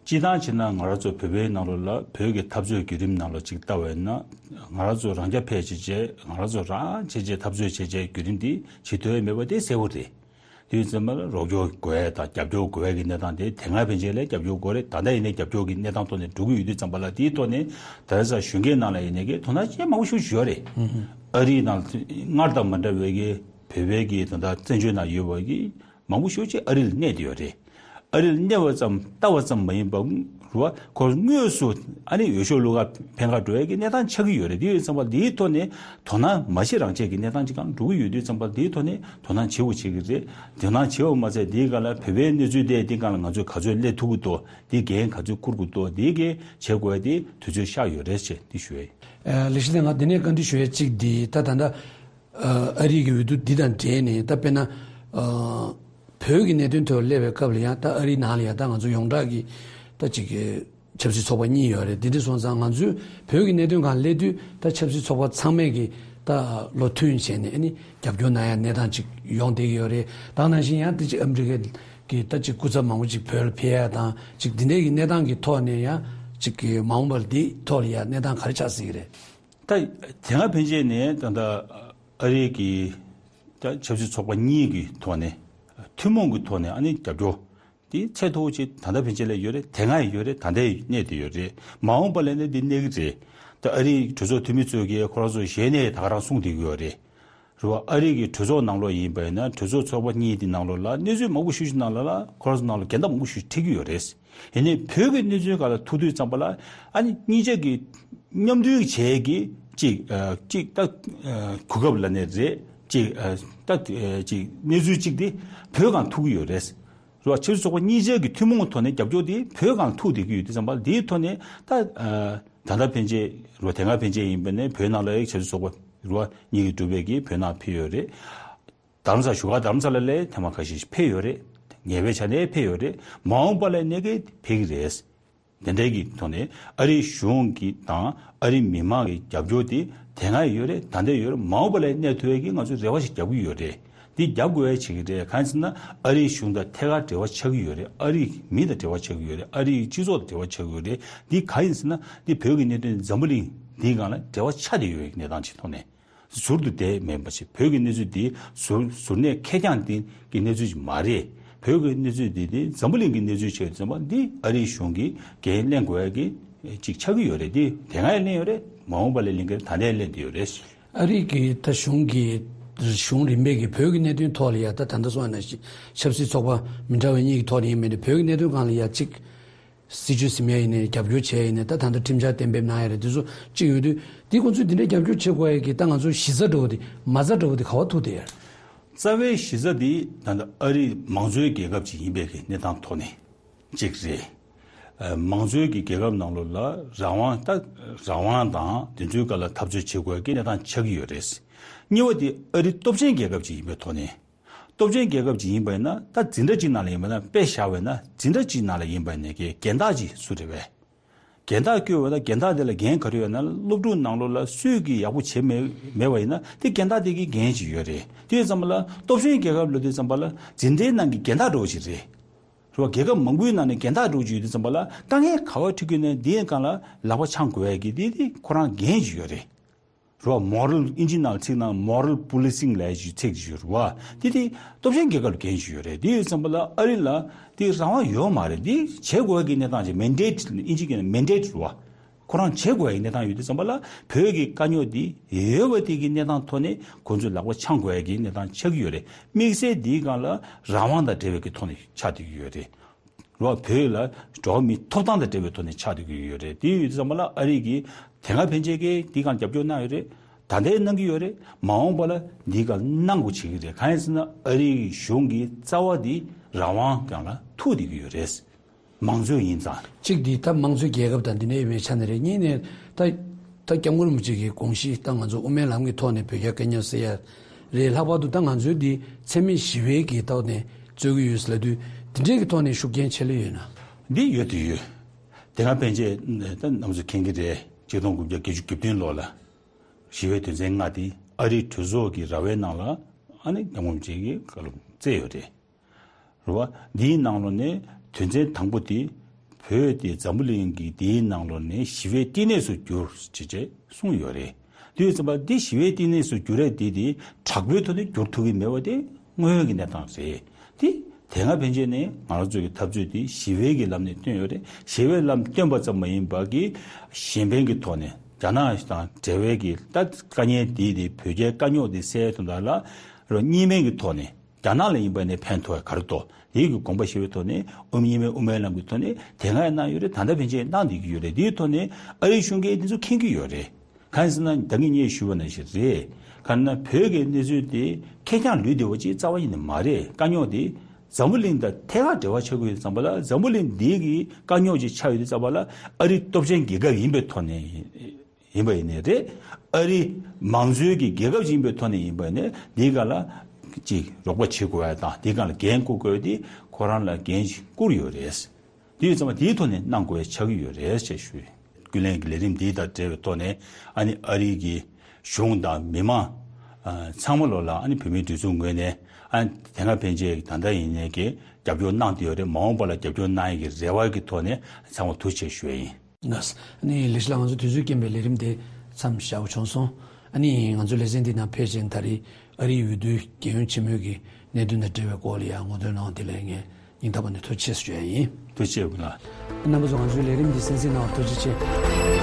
སྤྱིར་བཏང་བྱས་ན་ང་རང་ཚོ་བོད་པའི་ནང་ལོགས་ལ་བོད་ཀྱི་འཐབ་རྩོད་བརྒྱུད་རིམ་ནང་ལ་ཅིག་ལྟ་བས་ན། ང་རང་ཚོ་རང་རྐྱ་འཕེར་བྱས་བྱས། ང་རང་ཚོ་རང་བྱས་བྱས་འཐབ་རྩོད་བྱས་བྱས་བརྒྱུད་རིམ་འདི་བྱེད་ཐུབ་ཡ་མེད་པ་དེ་གསལ་པོ་རེད། དུས་ཙམ་པ་ལ་རོགས་སྐྱོར་དགོས་ཡ་དང་རྒྱབ་སྐྱོར་དགོས་ཡ་གི་གནས་སྟངས་དེ་དེ་སྔ་ཕན་ཆད་ལས་རྒྱབ་སྐྱོར་དགོས་རེད། ད་ལྟ་ཡིན་ནའི་རྒྱབ་སྐྱོར་གྱི་གནས་སྟངས་ཐོག་ནས་འགྲོ་གི་ཡོད་དུས་ཙམ་པ་ལ། དེའི་ཐོག་ནས་ད་ལྟ་གཞོན་སྐྱེས་ནང་ལ་ཡིན་ནའི་གི་དོ་སྣང་བྱེད་མང་པོ་ཞིག་ཡོད་རེད། ཨ་རིའི་ནང་སྔར་དང་མ་འདྲ་བའི་གི་བོད་པའི་གི་ད་ལྟ་བཙན་བྱོལ་ནང་ཡོད་པ་གི་མང་པོ་ཞིག་ཅིག་ཨ་རི་ལ་གནས་བསྡད་ཡོད་རེད། ཨ་རི་ལ་གནས་པ་ཙམ་ལྟ་བ་ཙམ་མ་ཡིན་པ་རུ་བ་ཁོ་དངོས་སུ་ཨ་ནི་འོས་ཤོག་བླུག་ག་ཕན་ག་འགྲོ་ཡ་གི་གནས་སྟངས་ཆགས་ཀྱི་ཡོད་རེད། དེ་ཡོད་ཙམ་པ་འདིའི་ཐོག་ནས་དོ་སྣང་མ་བྱེད་རང་བྱེད་ཀྱི་གནས་སྟངས་ཅིག་སྒང་འགྲོ་གི་ཡོད་དུས་ཙམ་པ་འདིའི་ཐོག་ནས་དོ་སྣང་བྱེད་དགོས་བྱེད་ཀྱི་རེད། དོ་སྣང་བྱེད་པ་མ་ཚད་འདིའི་སྒང་ལ་བོད་པའི་གནས་ཚུལ་དེ་འདི་སྒང་ལ་ང་ཚོས་ག་ཚོད་སླེབས་ཐུབ་ཀྱི་འདུག་འདི་འགན་ག་ཚོད་འཁུར་དགོས་འདུག་འདི་གའི་བྱེད་དགོས་ཡ་དེ་དུས་ཚོད་ཤར་ཡོད་རེད་ཅེས་འདི་ཞུ་ཡ་ཡིན། ལེགས་བཤད་ལགས། ང་འདི་ནས་བཀའ་འདྲི་ཞུ་ཡ་གཅིག་འདི། ད་ད་ལྟ་ཨ་རི་གི་འོས་བསྡུ་འདི་དང་འབྲེལ་ནས། ད་དཔེར་ན་ཨ་བོད་ཀྱི་གནད་དོན་ཐོག་སླེབས་པའི་སྐབས་ལ་ཡང་། ད་ཨ་རིའི་ནང་ལ་ཡང་ད་ང་ཚོ་ཡོངས་གྲགས་ཀྱི་ད་ཅིག་གི་ཆབ་སྲིད་ཚོགས་པ་གཉིས་ཡོད་རེད། འདི་འདྲ་སོང་ཙང་ང་ཚོས་བོད་ཀྱི་གནད་དོན་སྒང་སླེབས་དུས་ད་ཆབ་སྲིད་ཚོགས་པ་ཚང་མས་ཀྱི་ད་བློ་མཐུན་བྱས་ནས་ཨ་ནི་རྒྱབ་སྐྱོར་གནང་ཡ་གནས་སྟངས་ཅིག་ཡོང་བསྡད་ཀྱི་ཡོད་རེད། ད་ནང་བཞིན་ཡང་དེ་ཅིག་ཨ་མི་རི་ཀའི་གི་ད་ཅིག་སྐུ་ཚབ་མང་པོ་ཅིག་བོད་ལ་ཕེབས་ཡ་དང་། ཅིག་འདི་འདྲའི་གི་གནས་སྟངས་ཀྱི་ཐོག་ནས་ཡང་ཅིག་གི་མ་འོངས་པ་ལ་འདི་ཐོག་ལ་ཡ་གནས་སྟངས་ག་རེ་ཆགས་སྲིད་ཀྱི་རེད། ད་དེ་སྔ་ཕན་ཆད་ནས་ད་ལྟ་ཨ་རི་གི་ད་ཆབ་སྲིད་ཚོགས་པ་གཉིས་ཀྱི་ཐོག་ནས་ཐུན་མོང་གི་ཐོག་ནས་ཨ་ནི་རྒྱབ་སྐྱོར་དེ་ཚད་མཐོ་བོ་ཅིག་ད་ལྟ་ཕན་ཆད་ལ་ཡོད་རེད། དེ་སྔ་ཡང་ཡོད་རེད། ད་ལྟ་ཡང་གནས་བསྡད་ཡོད་རེད། མ་འོངས་པ་ལ་ནི་འདི་གནས་ཀྱི་རེད། ད་ཨ་རིའི་གྲོས་ཚོགས་འཐུས་མི་ཚོས་ཀྱིས་ཁོ་རང་ཚོ་ཞལ་ནས་ད་ག་རང་གསུངས་བསྡད་ཀྱི་ཡོད་རེད། རེད་བ། ཨ་རི་གི་གྲོས་ཚོགས་ནང་ལོགས་ཡིན་པ་ཡིན་ན་གྲོས་ཚོགས་ཚོགས་པ་གཉིས་དེ་ནང་ལོགས་ལ་གནས་ཚུལ་མང་པོ་ཞིག་ཞིག་ནང་ལ་ལ་ཁོ་རང་ཚོ་ནང་ལ་འགལ་ཟླ་མང་པོ་ཞིག་འཕྲད་ཀྱི་ཡོད་རེད། ཡིན་ནའི་བོད་ཀྱི་གནས་ཚུལ་སྒང་ལ་ཐུག་དུས་ཙམ་པ་ལ་ཨ་ནི་གཉིས་ཆ་གི་མཉམ་མཐུན་བྱས་ཀྱི་གཅིག་ཨ་གཅིག་ད་ཨ་གོ་སྐབས་ལབ་ནའི་རེད། གཅིག་ཨ་ད་ཨ་གཅིག་གནས་ཚུལ་གཅིག་དེ་བོད་སྒང་ཐུག་གི་ཡོད་རེད། རེད་བ། ཆབ་སྲིད་ཚོགས་པ་གཉིས་ཆ་གི་ཐུན་མོང་གི་ཐོག་ནས་རྒྱབ་སྐྱོར་དེ་བོད་སྒང་ཐུག་བསྡད་ཀྱི་ཡོད་དུས་ཙམ་པ་ལ་དེའི་ཐོག་ནས་ད་ཨ་ད་ལྟ་ཕན་ཆད་རེད་བ། དེ་སྔ་ཕན་ཆད་ཡིན་པ་ནས་བོད་ནང་ལ་ཡ་ཆབ་སྲིད་ཚོགས་པ་རེད་བ་གཉིས་ཀྱི་གྲུབ་པའི་གི་བོད་ནང་ཕེབས་ཡོད་རེད། རྡ་རམ་ས་ལ་བཞུགས་སྒར་རྡ་རམ་ས་ལ་ལ་ཐེངས་མ་ཁ་ཤས་ཤིག་ཕེབས་ཡོད་རེད། ངེས་པའི་ཆ་ནས་ཕེབས་ཡོད་རེད། མ་འོངས་པ་ལ་ནས་ཀྱི་ཕེབས་ཀྱི་རེད། དེ་འདྲའི་གི་ཐོག་ནས་ཨ་རིའི་གཞུང་གི་དང་ཨ་རིའི་མི་མང་གི་རྒྱབ་སྐྱོར་དེ་དེ་སྔ་ཡོད་རེད། ད་ལྟ་ཡོད་རེད། མ་འོངས་པ་ལ་གནས་ཐུབ་ཡས་ཀྱི་ང་ཚོས་རེ་བ་ཞིག་རྒྱབ་ཀྱི་ཡོད་རེད། འདི་རྒྱབ་དགོས་ཡས་བྱེད་ཀྱི་རེད། གང་ཡིན་ཟེར་ན་ཨ་རིའི་གཞུང་དང་ཐད་ཀར་འབྲེལ་བ་ཆགས་ཀྱི་ཡོད་རེད། ཨ་རིའི་མི་དང་འབྲེལ་བ་ཆགས་ཀྱི་ཡོད་རེད། ཨ་རིའི་སྤྱི་ཚོགས་དང་འབྲེལ་བ་ཆགས་ཀྱི་ཡོད་རེད། འདི་གང་ཡིན་ཟེར་ན་འདི་བོད་ཀྱི་གནད་དོན་འཛམ་བུ་གླིང་འདིའི་སྒང་ལ་འབྲེལ་བ་ཆགས་བསྡད་ཡོད་ཡས་གནས་སྟངས་ཅིག་ཐོག་ནས། ཟུར་དུ་བསྡད་མེད་པ་ཞིག་བོད་ཀྱི་གནས་ཚུལ་འདི་ཟུར་ཟུར་གནས་ཁེར་རྐྱང་འདི་གི་གནས་ཚུལ་ཞིག་མ་རེད། བོད་ཀྱི་གནས་ཚུལ་འདི་འདི་འཛམ་བུ་གླིང་གི་གནས་ཚུལ་ཆེད་དུ་ཙམ་པ་འདི་ཨ་རིའི་གཞུང་གིས་འགན་ལེན་དགོས་ཡ་གི་ཅིག་ཆགས་ཀྱི་ཡོད་རེད། འདི་དེ་སྔ་ཡང་ལེན་ཡོད་རེད། མ་འོངས་པ་ལ་ལེན་གྱི་རེད། ད་ལྟ་ཡང་ལེན་བསྡད་ཡོད་རེད། ཨ་རི་གི་ད་གཞུང་གི་གཞུང་རིམ་པས་ཀྱི་བོད་ཀྱི་གནད་དོན་ཐོག་ལ་ཡ་ད་ད་ལྟ་སོང་ན་ཞིག་ཆབ་སྲིད་ཚོགས་པ་མི་འདྲ་བའི་གཉིས་ཀྱི་ཐོག་ནས་ཡིན་མིན་ནི་བོད་ཀྱི་གནད་དོན་སྒང་ལ་ཡ་གཅིག་སྲིད་ཇུས་ཟིན་ཡ་ཡིན་ནའི་རྒྱབ་སྐྱོར་བྱས་ཡིན་ནའི་ད་ད་ལྟ་ཁྲིམས་འཆར་གཏན་འབེབས་གནང་ཡ་རེད། དེ་ཚོ་གཅིག་ཡོད་དུས་འདི་ཁོང་ཚོས་འདི་འདྲའི་རྒྱབ་སྐྱོར་བྱེད་དགོས་ཡ་གི་ད་ང་ཚོ་གཞི་རྩ་འདྲ་བོ་དེ་མ་རྩ་འདྲ་བོ་དེ་ག་བ་ཐུག་བསྡད་ཡ་རེད། རྩ་བའི་གཞི་རྩ་འདི་ད་ལྟ་ཨ་རི་མང་གཙོའི་རྒྱལ་ཁབ་ཅིག་ཡིན་པའི་གི་གནས་སྟངས་ཐོག་ནས་གཅིག་རེད། ཨ་མང་གཙོའི་གི་རྒྱལ་ཁབ་ནང་ལོགས་ལ་རང་དབང་ད་རང་དབང་དང་དེ་ཚོའི་སྒང་ལ་འཐབ་རྩོད་བྱེད་དགོས་ཡ་གི་གནས་སྟངས་ཆགས་ཀྱི་ཡོད་རེད། གཉིས་པ་དེ་ཨ་རི་སྟོབས་ཆེན་རྒྱལ་ཁབ་ཅིག་ཡིན་པའི་ཐོག་ནས། སྟོབས་ཆེན་རྒྱལ་ཁབ་ཅིག་ཡིན་པ་ཡིན་ན་ད་འཛིན་གྲྭ་གཅིག་ནང་ལ་ཡིན་པ་ན་དཔེ་བཞག་པ་ཡིན་ན་འཛིན་གྲྭ་གཅིག་ནང་ལ་ཡིན་པ་ཡིན་ན་གི་རྒན་བདག་ཅིག་སུ་རེད་པས། རྒན་བདག་བསྐོས་པ་ན་རྒན་བདག་དེ་ལ་འགན་ག་རེ་ཡོད་ན་སློབ་ཕྲུག་ནང་ལོགས་ལ་སུས་ཀྱིས་ཡག་པོ་བྱེད་མེད་མེད་པ་ཡིན་ན་དེ་རྒན་བདག་དེ་གི་འགན་ཅིག་ཡོད་རེད། དེ་ཙམ་པ་ལ་སྟོབས་ཆེན་རྒྱལ་ཁབ་ལབ་དུས་ཙམ་པ་ལ་འཛིན་གྲྭའི་ནང་གི་རྒན་བདག་འདྲ་བོ་ཅིག་རེད། རེད་བ། རྒྱལ་ཁབ་མང་པོའི་ནང་ནས་རྒན་བདག་འདྲ་བོ་ཅིག་ཡོད་དུས་ཙམ་པ་ལ་དཀའ་ངལ་ག་བ་འཕྲད་ཀྱི་ཡོད་ན་དེའི་སྒང་ལ་ལག་པ་འཆང་དགོས་ཡ་གི་དེ་དེ་ཁོ་རང་འགན་ཅིག་ཡོད་རེད། རེད་བ། མོ་རལ་ཨིན་ཇི་ནང་ཚིག་ནང་མོ་རལ་པོ་ལི་སིང་ལབ་ཡ་ཅིག་ཚིག་ཅིག་ཡོད་རེད་བ། དེ་དེ་སྟོབས་ཆེན་རྒྱལ་ཁབ་ལ་འགན་ཅིག་ཡོད་རེད། དེ་ཡོད་ཙམ་པ་ལ་ཨ་རི་ལ་དེ་རང་དབང་ཡོད་མ་རེད། དེ་བྱེད་དགོས་ཡ་གི་གནས་སྟངས་ཅིག་མན་ཌེ་ཊི་ཨིན་ཇི་གི་ནང་མན་ཌེ་ཊི་རེད་བ། ཁོ་རང་བྱེད་དགོས་ཡ་གི་གནས་སྟངས་ཡོད་དུས་ཙམ་པ་ལ་བོད་ཀྱི་དཀའ་རྙོག་འདི་ཡོད་པ་དེ་གི་གནས་སྟངས་ཐོག་ནས་ཁོང་ཚོས་ལག་པ་འཆང་དགོས་ཡ་གི་གནས་སྟངས་ཆགས་ཀྱི་ཡོད་རེད། དམིགས་བསལ་འདིའི་སྒང་ལ་རང་དབང་དང་འབྲེལ་བའི་གི་ཐོག་ནས་ཆགས་བསྡད་ཀྱི་ཡོད་རེད། རེད་བ། བོད་ལ་འགྲོ་བ་མིའི་ཐོབ་ཐང་དང་འབྲེལ་བའི་ཐོག་ནས་ཆགས་བསྡད་ཀྱི་ཡོད་རེད། དེ་ཡོད་དུས་ཙམ་པ་ལ་ཨ་རི་གིས་དེ་སྔ་ཕན་ཆད་ཀྱིས་འདིའི་སྒང་རྒྱབ་སྐྱོར་གནང་ཡོད་རེད། ད་ལྟའི་གནང་གི་ཡོད་རེད། མ་འོངས་པ་ལ་འདིའི་སྒང་གནང་དགོས་བྱེད་ཀྱི་རེད། གང་ཡིན་ཟེར་ན་ཨ་རིའི་གཞུང་གི་རྩ་བ་འདི་རང་དབང་སྒང་ལ་ཐུག་བསྡད་ཀྱི་ཡོད་རེད། མང་གཙོ་ཡིན་ཙང་། གཅིག་འདི་ད་དམངས་གཙོའི་རྒྱལ་ཁབ་དང་འདི་འདྲ་ཡིན་པའི་ཆ་ནས་རེད། གཉིས་ནས་ད་ད་སྐྱབས་མགོན་རིན་པོ་ཆེ་གི་དགོངས་གཞི་ད་ང་ཚོ་དབུ་མའི་ལམ་གྱི་ཐོག་ནས་བོད་རྒྱ་དཀའ་རྙོག་སེལ་ཡ་རེད། ལྷག་པར་དུ་ད་ང་ཚོའི་འདི་འཚེ་མེད་ཞི་བའི་གི་ཐོག་ནས་རྩོད་ཀྱི་ཡོད་ལབ་དུས་འདི་འདྲའི་གི་ཐོག་ནས་ཤུགས་རྐྱེན་ཆེ་ལོས་ཡོད་ན། འདི་ཡོད་དུ་ཡོད། དེ་སྔ་ཕན་ཆད་ད་རྣམ་ཚོ་མཁྱེན་གྱི་རེད། ཆིག་སྟོང་དགུ་བརྒྱ་བརྒྱད་ཅུ་གྱ་བདུན་ལོ་ལ་ཞི་བའི་དོན་ཚན་ལྔ་དེ་ཨ་རིའི་གྲོས་ཚོགས་ཀྱི་ར་བའི་ནང་ལ་ཨ་ནི་སྐྱབས་མགོན་རིན་པོ་ཆེ་གིས་བཀའ་སློབ་སྩལ་ཡོད་རེད། རེད་བ། འདིའི་ནང་ལོགས་ནས་དོན་ཚན་དང་པོ་དེ་བོད་དེ་འཛམ་བུ་གླིང་གི་འདིའི་ནང་ལོགས་ནས་ཞི་བའི་བསྟི་གནས་སུ་གྱུར་ཅེས་བཅས་གསུངས་ཡོད་རེད། དེ་ཡོད་ཙམ་པ་འདི་ཞི་བའི་བསྟི་གནས་སུ་གྱུར་ཡ་དེ་དེ་དྲག་པོའི་ཐོག་ནས་བསྒྱུར་ཐུབ་ཀྱི་མེད་པ་དེ་དངོས་ཡོད་ཀྱི་གནས་སྟངས་རེད། དེ་དེ་སྔ་ཕན་ཆད་ནས་ང་རང་ཚོ་གི་འཐབ་རྩོད་དེ་ཞི་བའི་གི་ལམ་ནས་བཏོན་ཡོད་རེད། ཞི་བའི་ལམ་བཏོན་པ་ཙམ་མ་ཡིན་པ་གི་གཞན་ཕན་གྱི་ཐོག་ནས་རྒྱ་ནག་དང་འབྲེལ་བའི་གི་ད་དཀའ་ངལ་དེ་དེ་བོད་རྒྱའི་དཀའ་རྙོག་དེ་སེལ་ཡ་དོན་དག་ལ་རོ་གཉིས་སྨན་གྱི་ཐོག་ནས། རྒྱ་ནག་ལ་ཡིན་པ་ནས་ཕན་ཐོགས་ག་རེ་ཐོགས་དེའི་གི་དགོངས་པ་བཞེས་པའི་ཐོག་ནས་དབུ་མ་གཉིས་སྨན་དབུ་མའི་ལམ་གྱི་ཐོག་ནས་དེ་སྔ་ཡང་གནང་ཡོད་རེད། ད་ལྟ་ཕན་ཆད་གནང་བསྡད་ཀྱི་ཡོད་རེད། དེའི་ཐོག་ནས་ཨ་རིའི་གཞུང་གིས་འདི་ཚོ་མཁྱེན་གྱི་ཡོད་རེད། གང་ཡིན་ཟེར་ན་ད་གིན་ངས་ཞུས་པ་ནང་བཞིན་རེད། གང་ན་བོད་ཀྱི་གནས་ཚུལ་དེ་ཁེར་རྐྱང་ལུས་བསྡད་པ་ཅིག་རྩ་བ་ཉིད་ནས་མ་རེད། དཀའ་རྙོག་དེ་འཛམ་བུ་གླིང་དང་ཐད་ཀར་འབྲེལ་བ་ཆགས་ཀྱི་ཡོད་ཙམ་པ་ལ་འཛམ་བུ་གླིང་འདི་གི་དཀའ་རྙོག་ཅིག་ཆགས་ཡོད་དུས་ཙམ་པ་ལ་ཨ་རི་སྟོབས་ཆེན་རྒྱལ་ཁབ་ཡིན་པའི་ཐོག་ནས། ཡིན་པ་ཡིན་ནའི་རེད། ཨ་རི་མང་གཙོའི་གི་རྒྱལ་ཁབ་ཅིག་ཡིན་པའི་ཐོག་ནས་ཡིན་པ་ཡིན་ནའི་འདིའི་སྒང་ལ་ཅིག་རོགས་པ་བྱེད་དགོས་ཡ་དང་འདིའི་སྒང་ལ་འགན་འཁུར་དགོས་ཡ་དེ་ཁོ་རང་ལ་འགན་ཞིག་བསྐུར་ཡོད་རེད། དེ་ཡོད་ཙང་མ་དེའི་ཐོག་ནས་གནང་དགོས་ཡ་ཆགས་ཀྱི་ཡོད་རེད་ཅེས་ཞུ། ཀུན་གླེང་གི་ལས་རིམ་འདི་དང་འབྲེལ་བའི་ཐོག་ནས་ཨ་ནི་ཨ་རི་གི་གཞུང་དང་མི་མང་ཚང་མ་ལོ་ལ་ཨ་ནི་བོད་མིའི་སྒྲིག་འཛུགས་ངོས་ནས་ཨ་ནི་དེ་སྔ་ཕན་ཆད་ད་ལྟ་ཡིན་ནའི་གི་རྒྱབ་སྐྱོར་གནང་བསྡད་ཡོད་རེད། མ་འོངས་པ་ལ་རྒྱབ་སྐྱོར་གནང་ཡ་གི་རེ་བ་གི་ཐོག་ནས་ཚང་མ་ཐུགས་རྗེ་ཆེ་ཞུ་ཡ་ཡིན། ལགས། ཨ་ནི་ལས་བྱེད་ལགས་ང་ཚོ་དུས་ཚོད་རྐྱེན་པས་ལས་རིམ་དེ་མཚམས་བཞག་དགོས་བྱུང་སོང་། ཨ་ནི་ང་ཚོ་ལེ་ཚན་འདི་ནང་ཕེབས་བྱས་ད་རེས་ཨ་རིའི་འོས་བསྡུའི་རྒྱལ་ཡོངས་ཆེན་མོའི་གི་གནད་དོན་དང་འབྲེལ་བའི་སྐོར་ལ་ཡང་ངོ་སྤྲོད་གནང་བ་དེ་ལ་ངས་སྙིང་ཐག་པ་ནས་ཐུགས་རྗེ་ཆེ་ཞུ་ཡ་ཡིན། ཐུགས་རྗེ་ཆེ་ལགས། རྣམ་པ་ཚོ་ང་ཚོའི་ལས་རིམ་འདི་གསན་གཟིགས་གནང་བར་ཐུགས་རྗེ་ཆེ།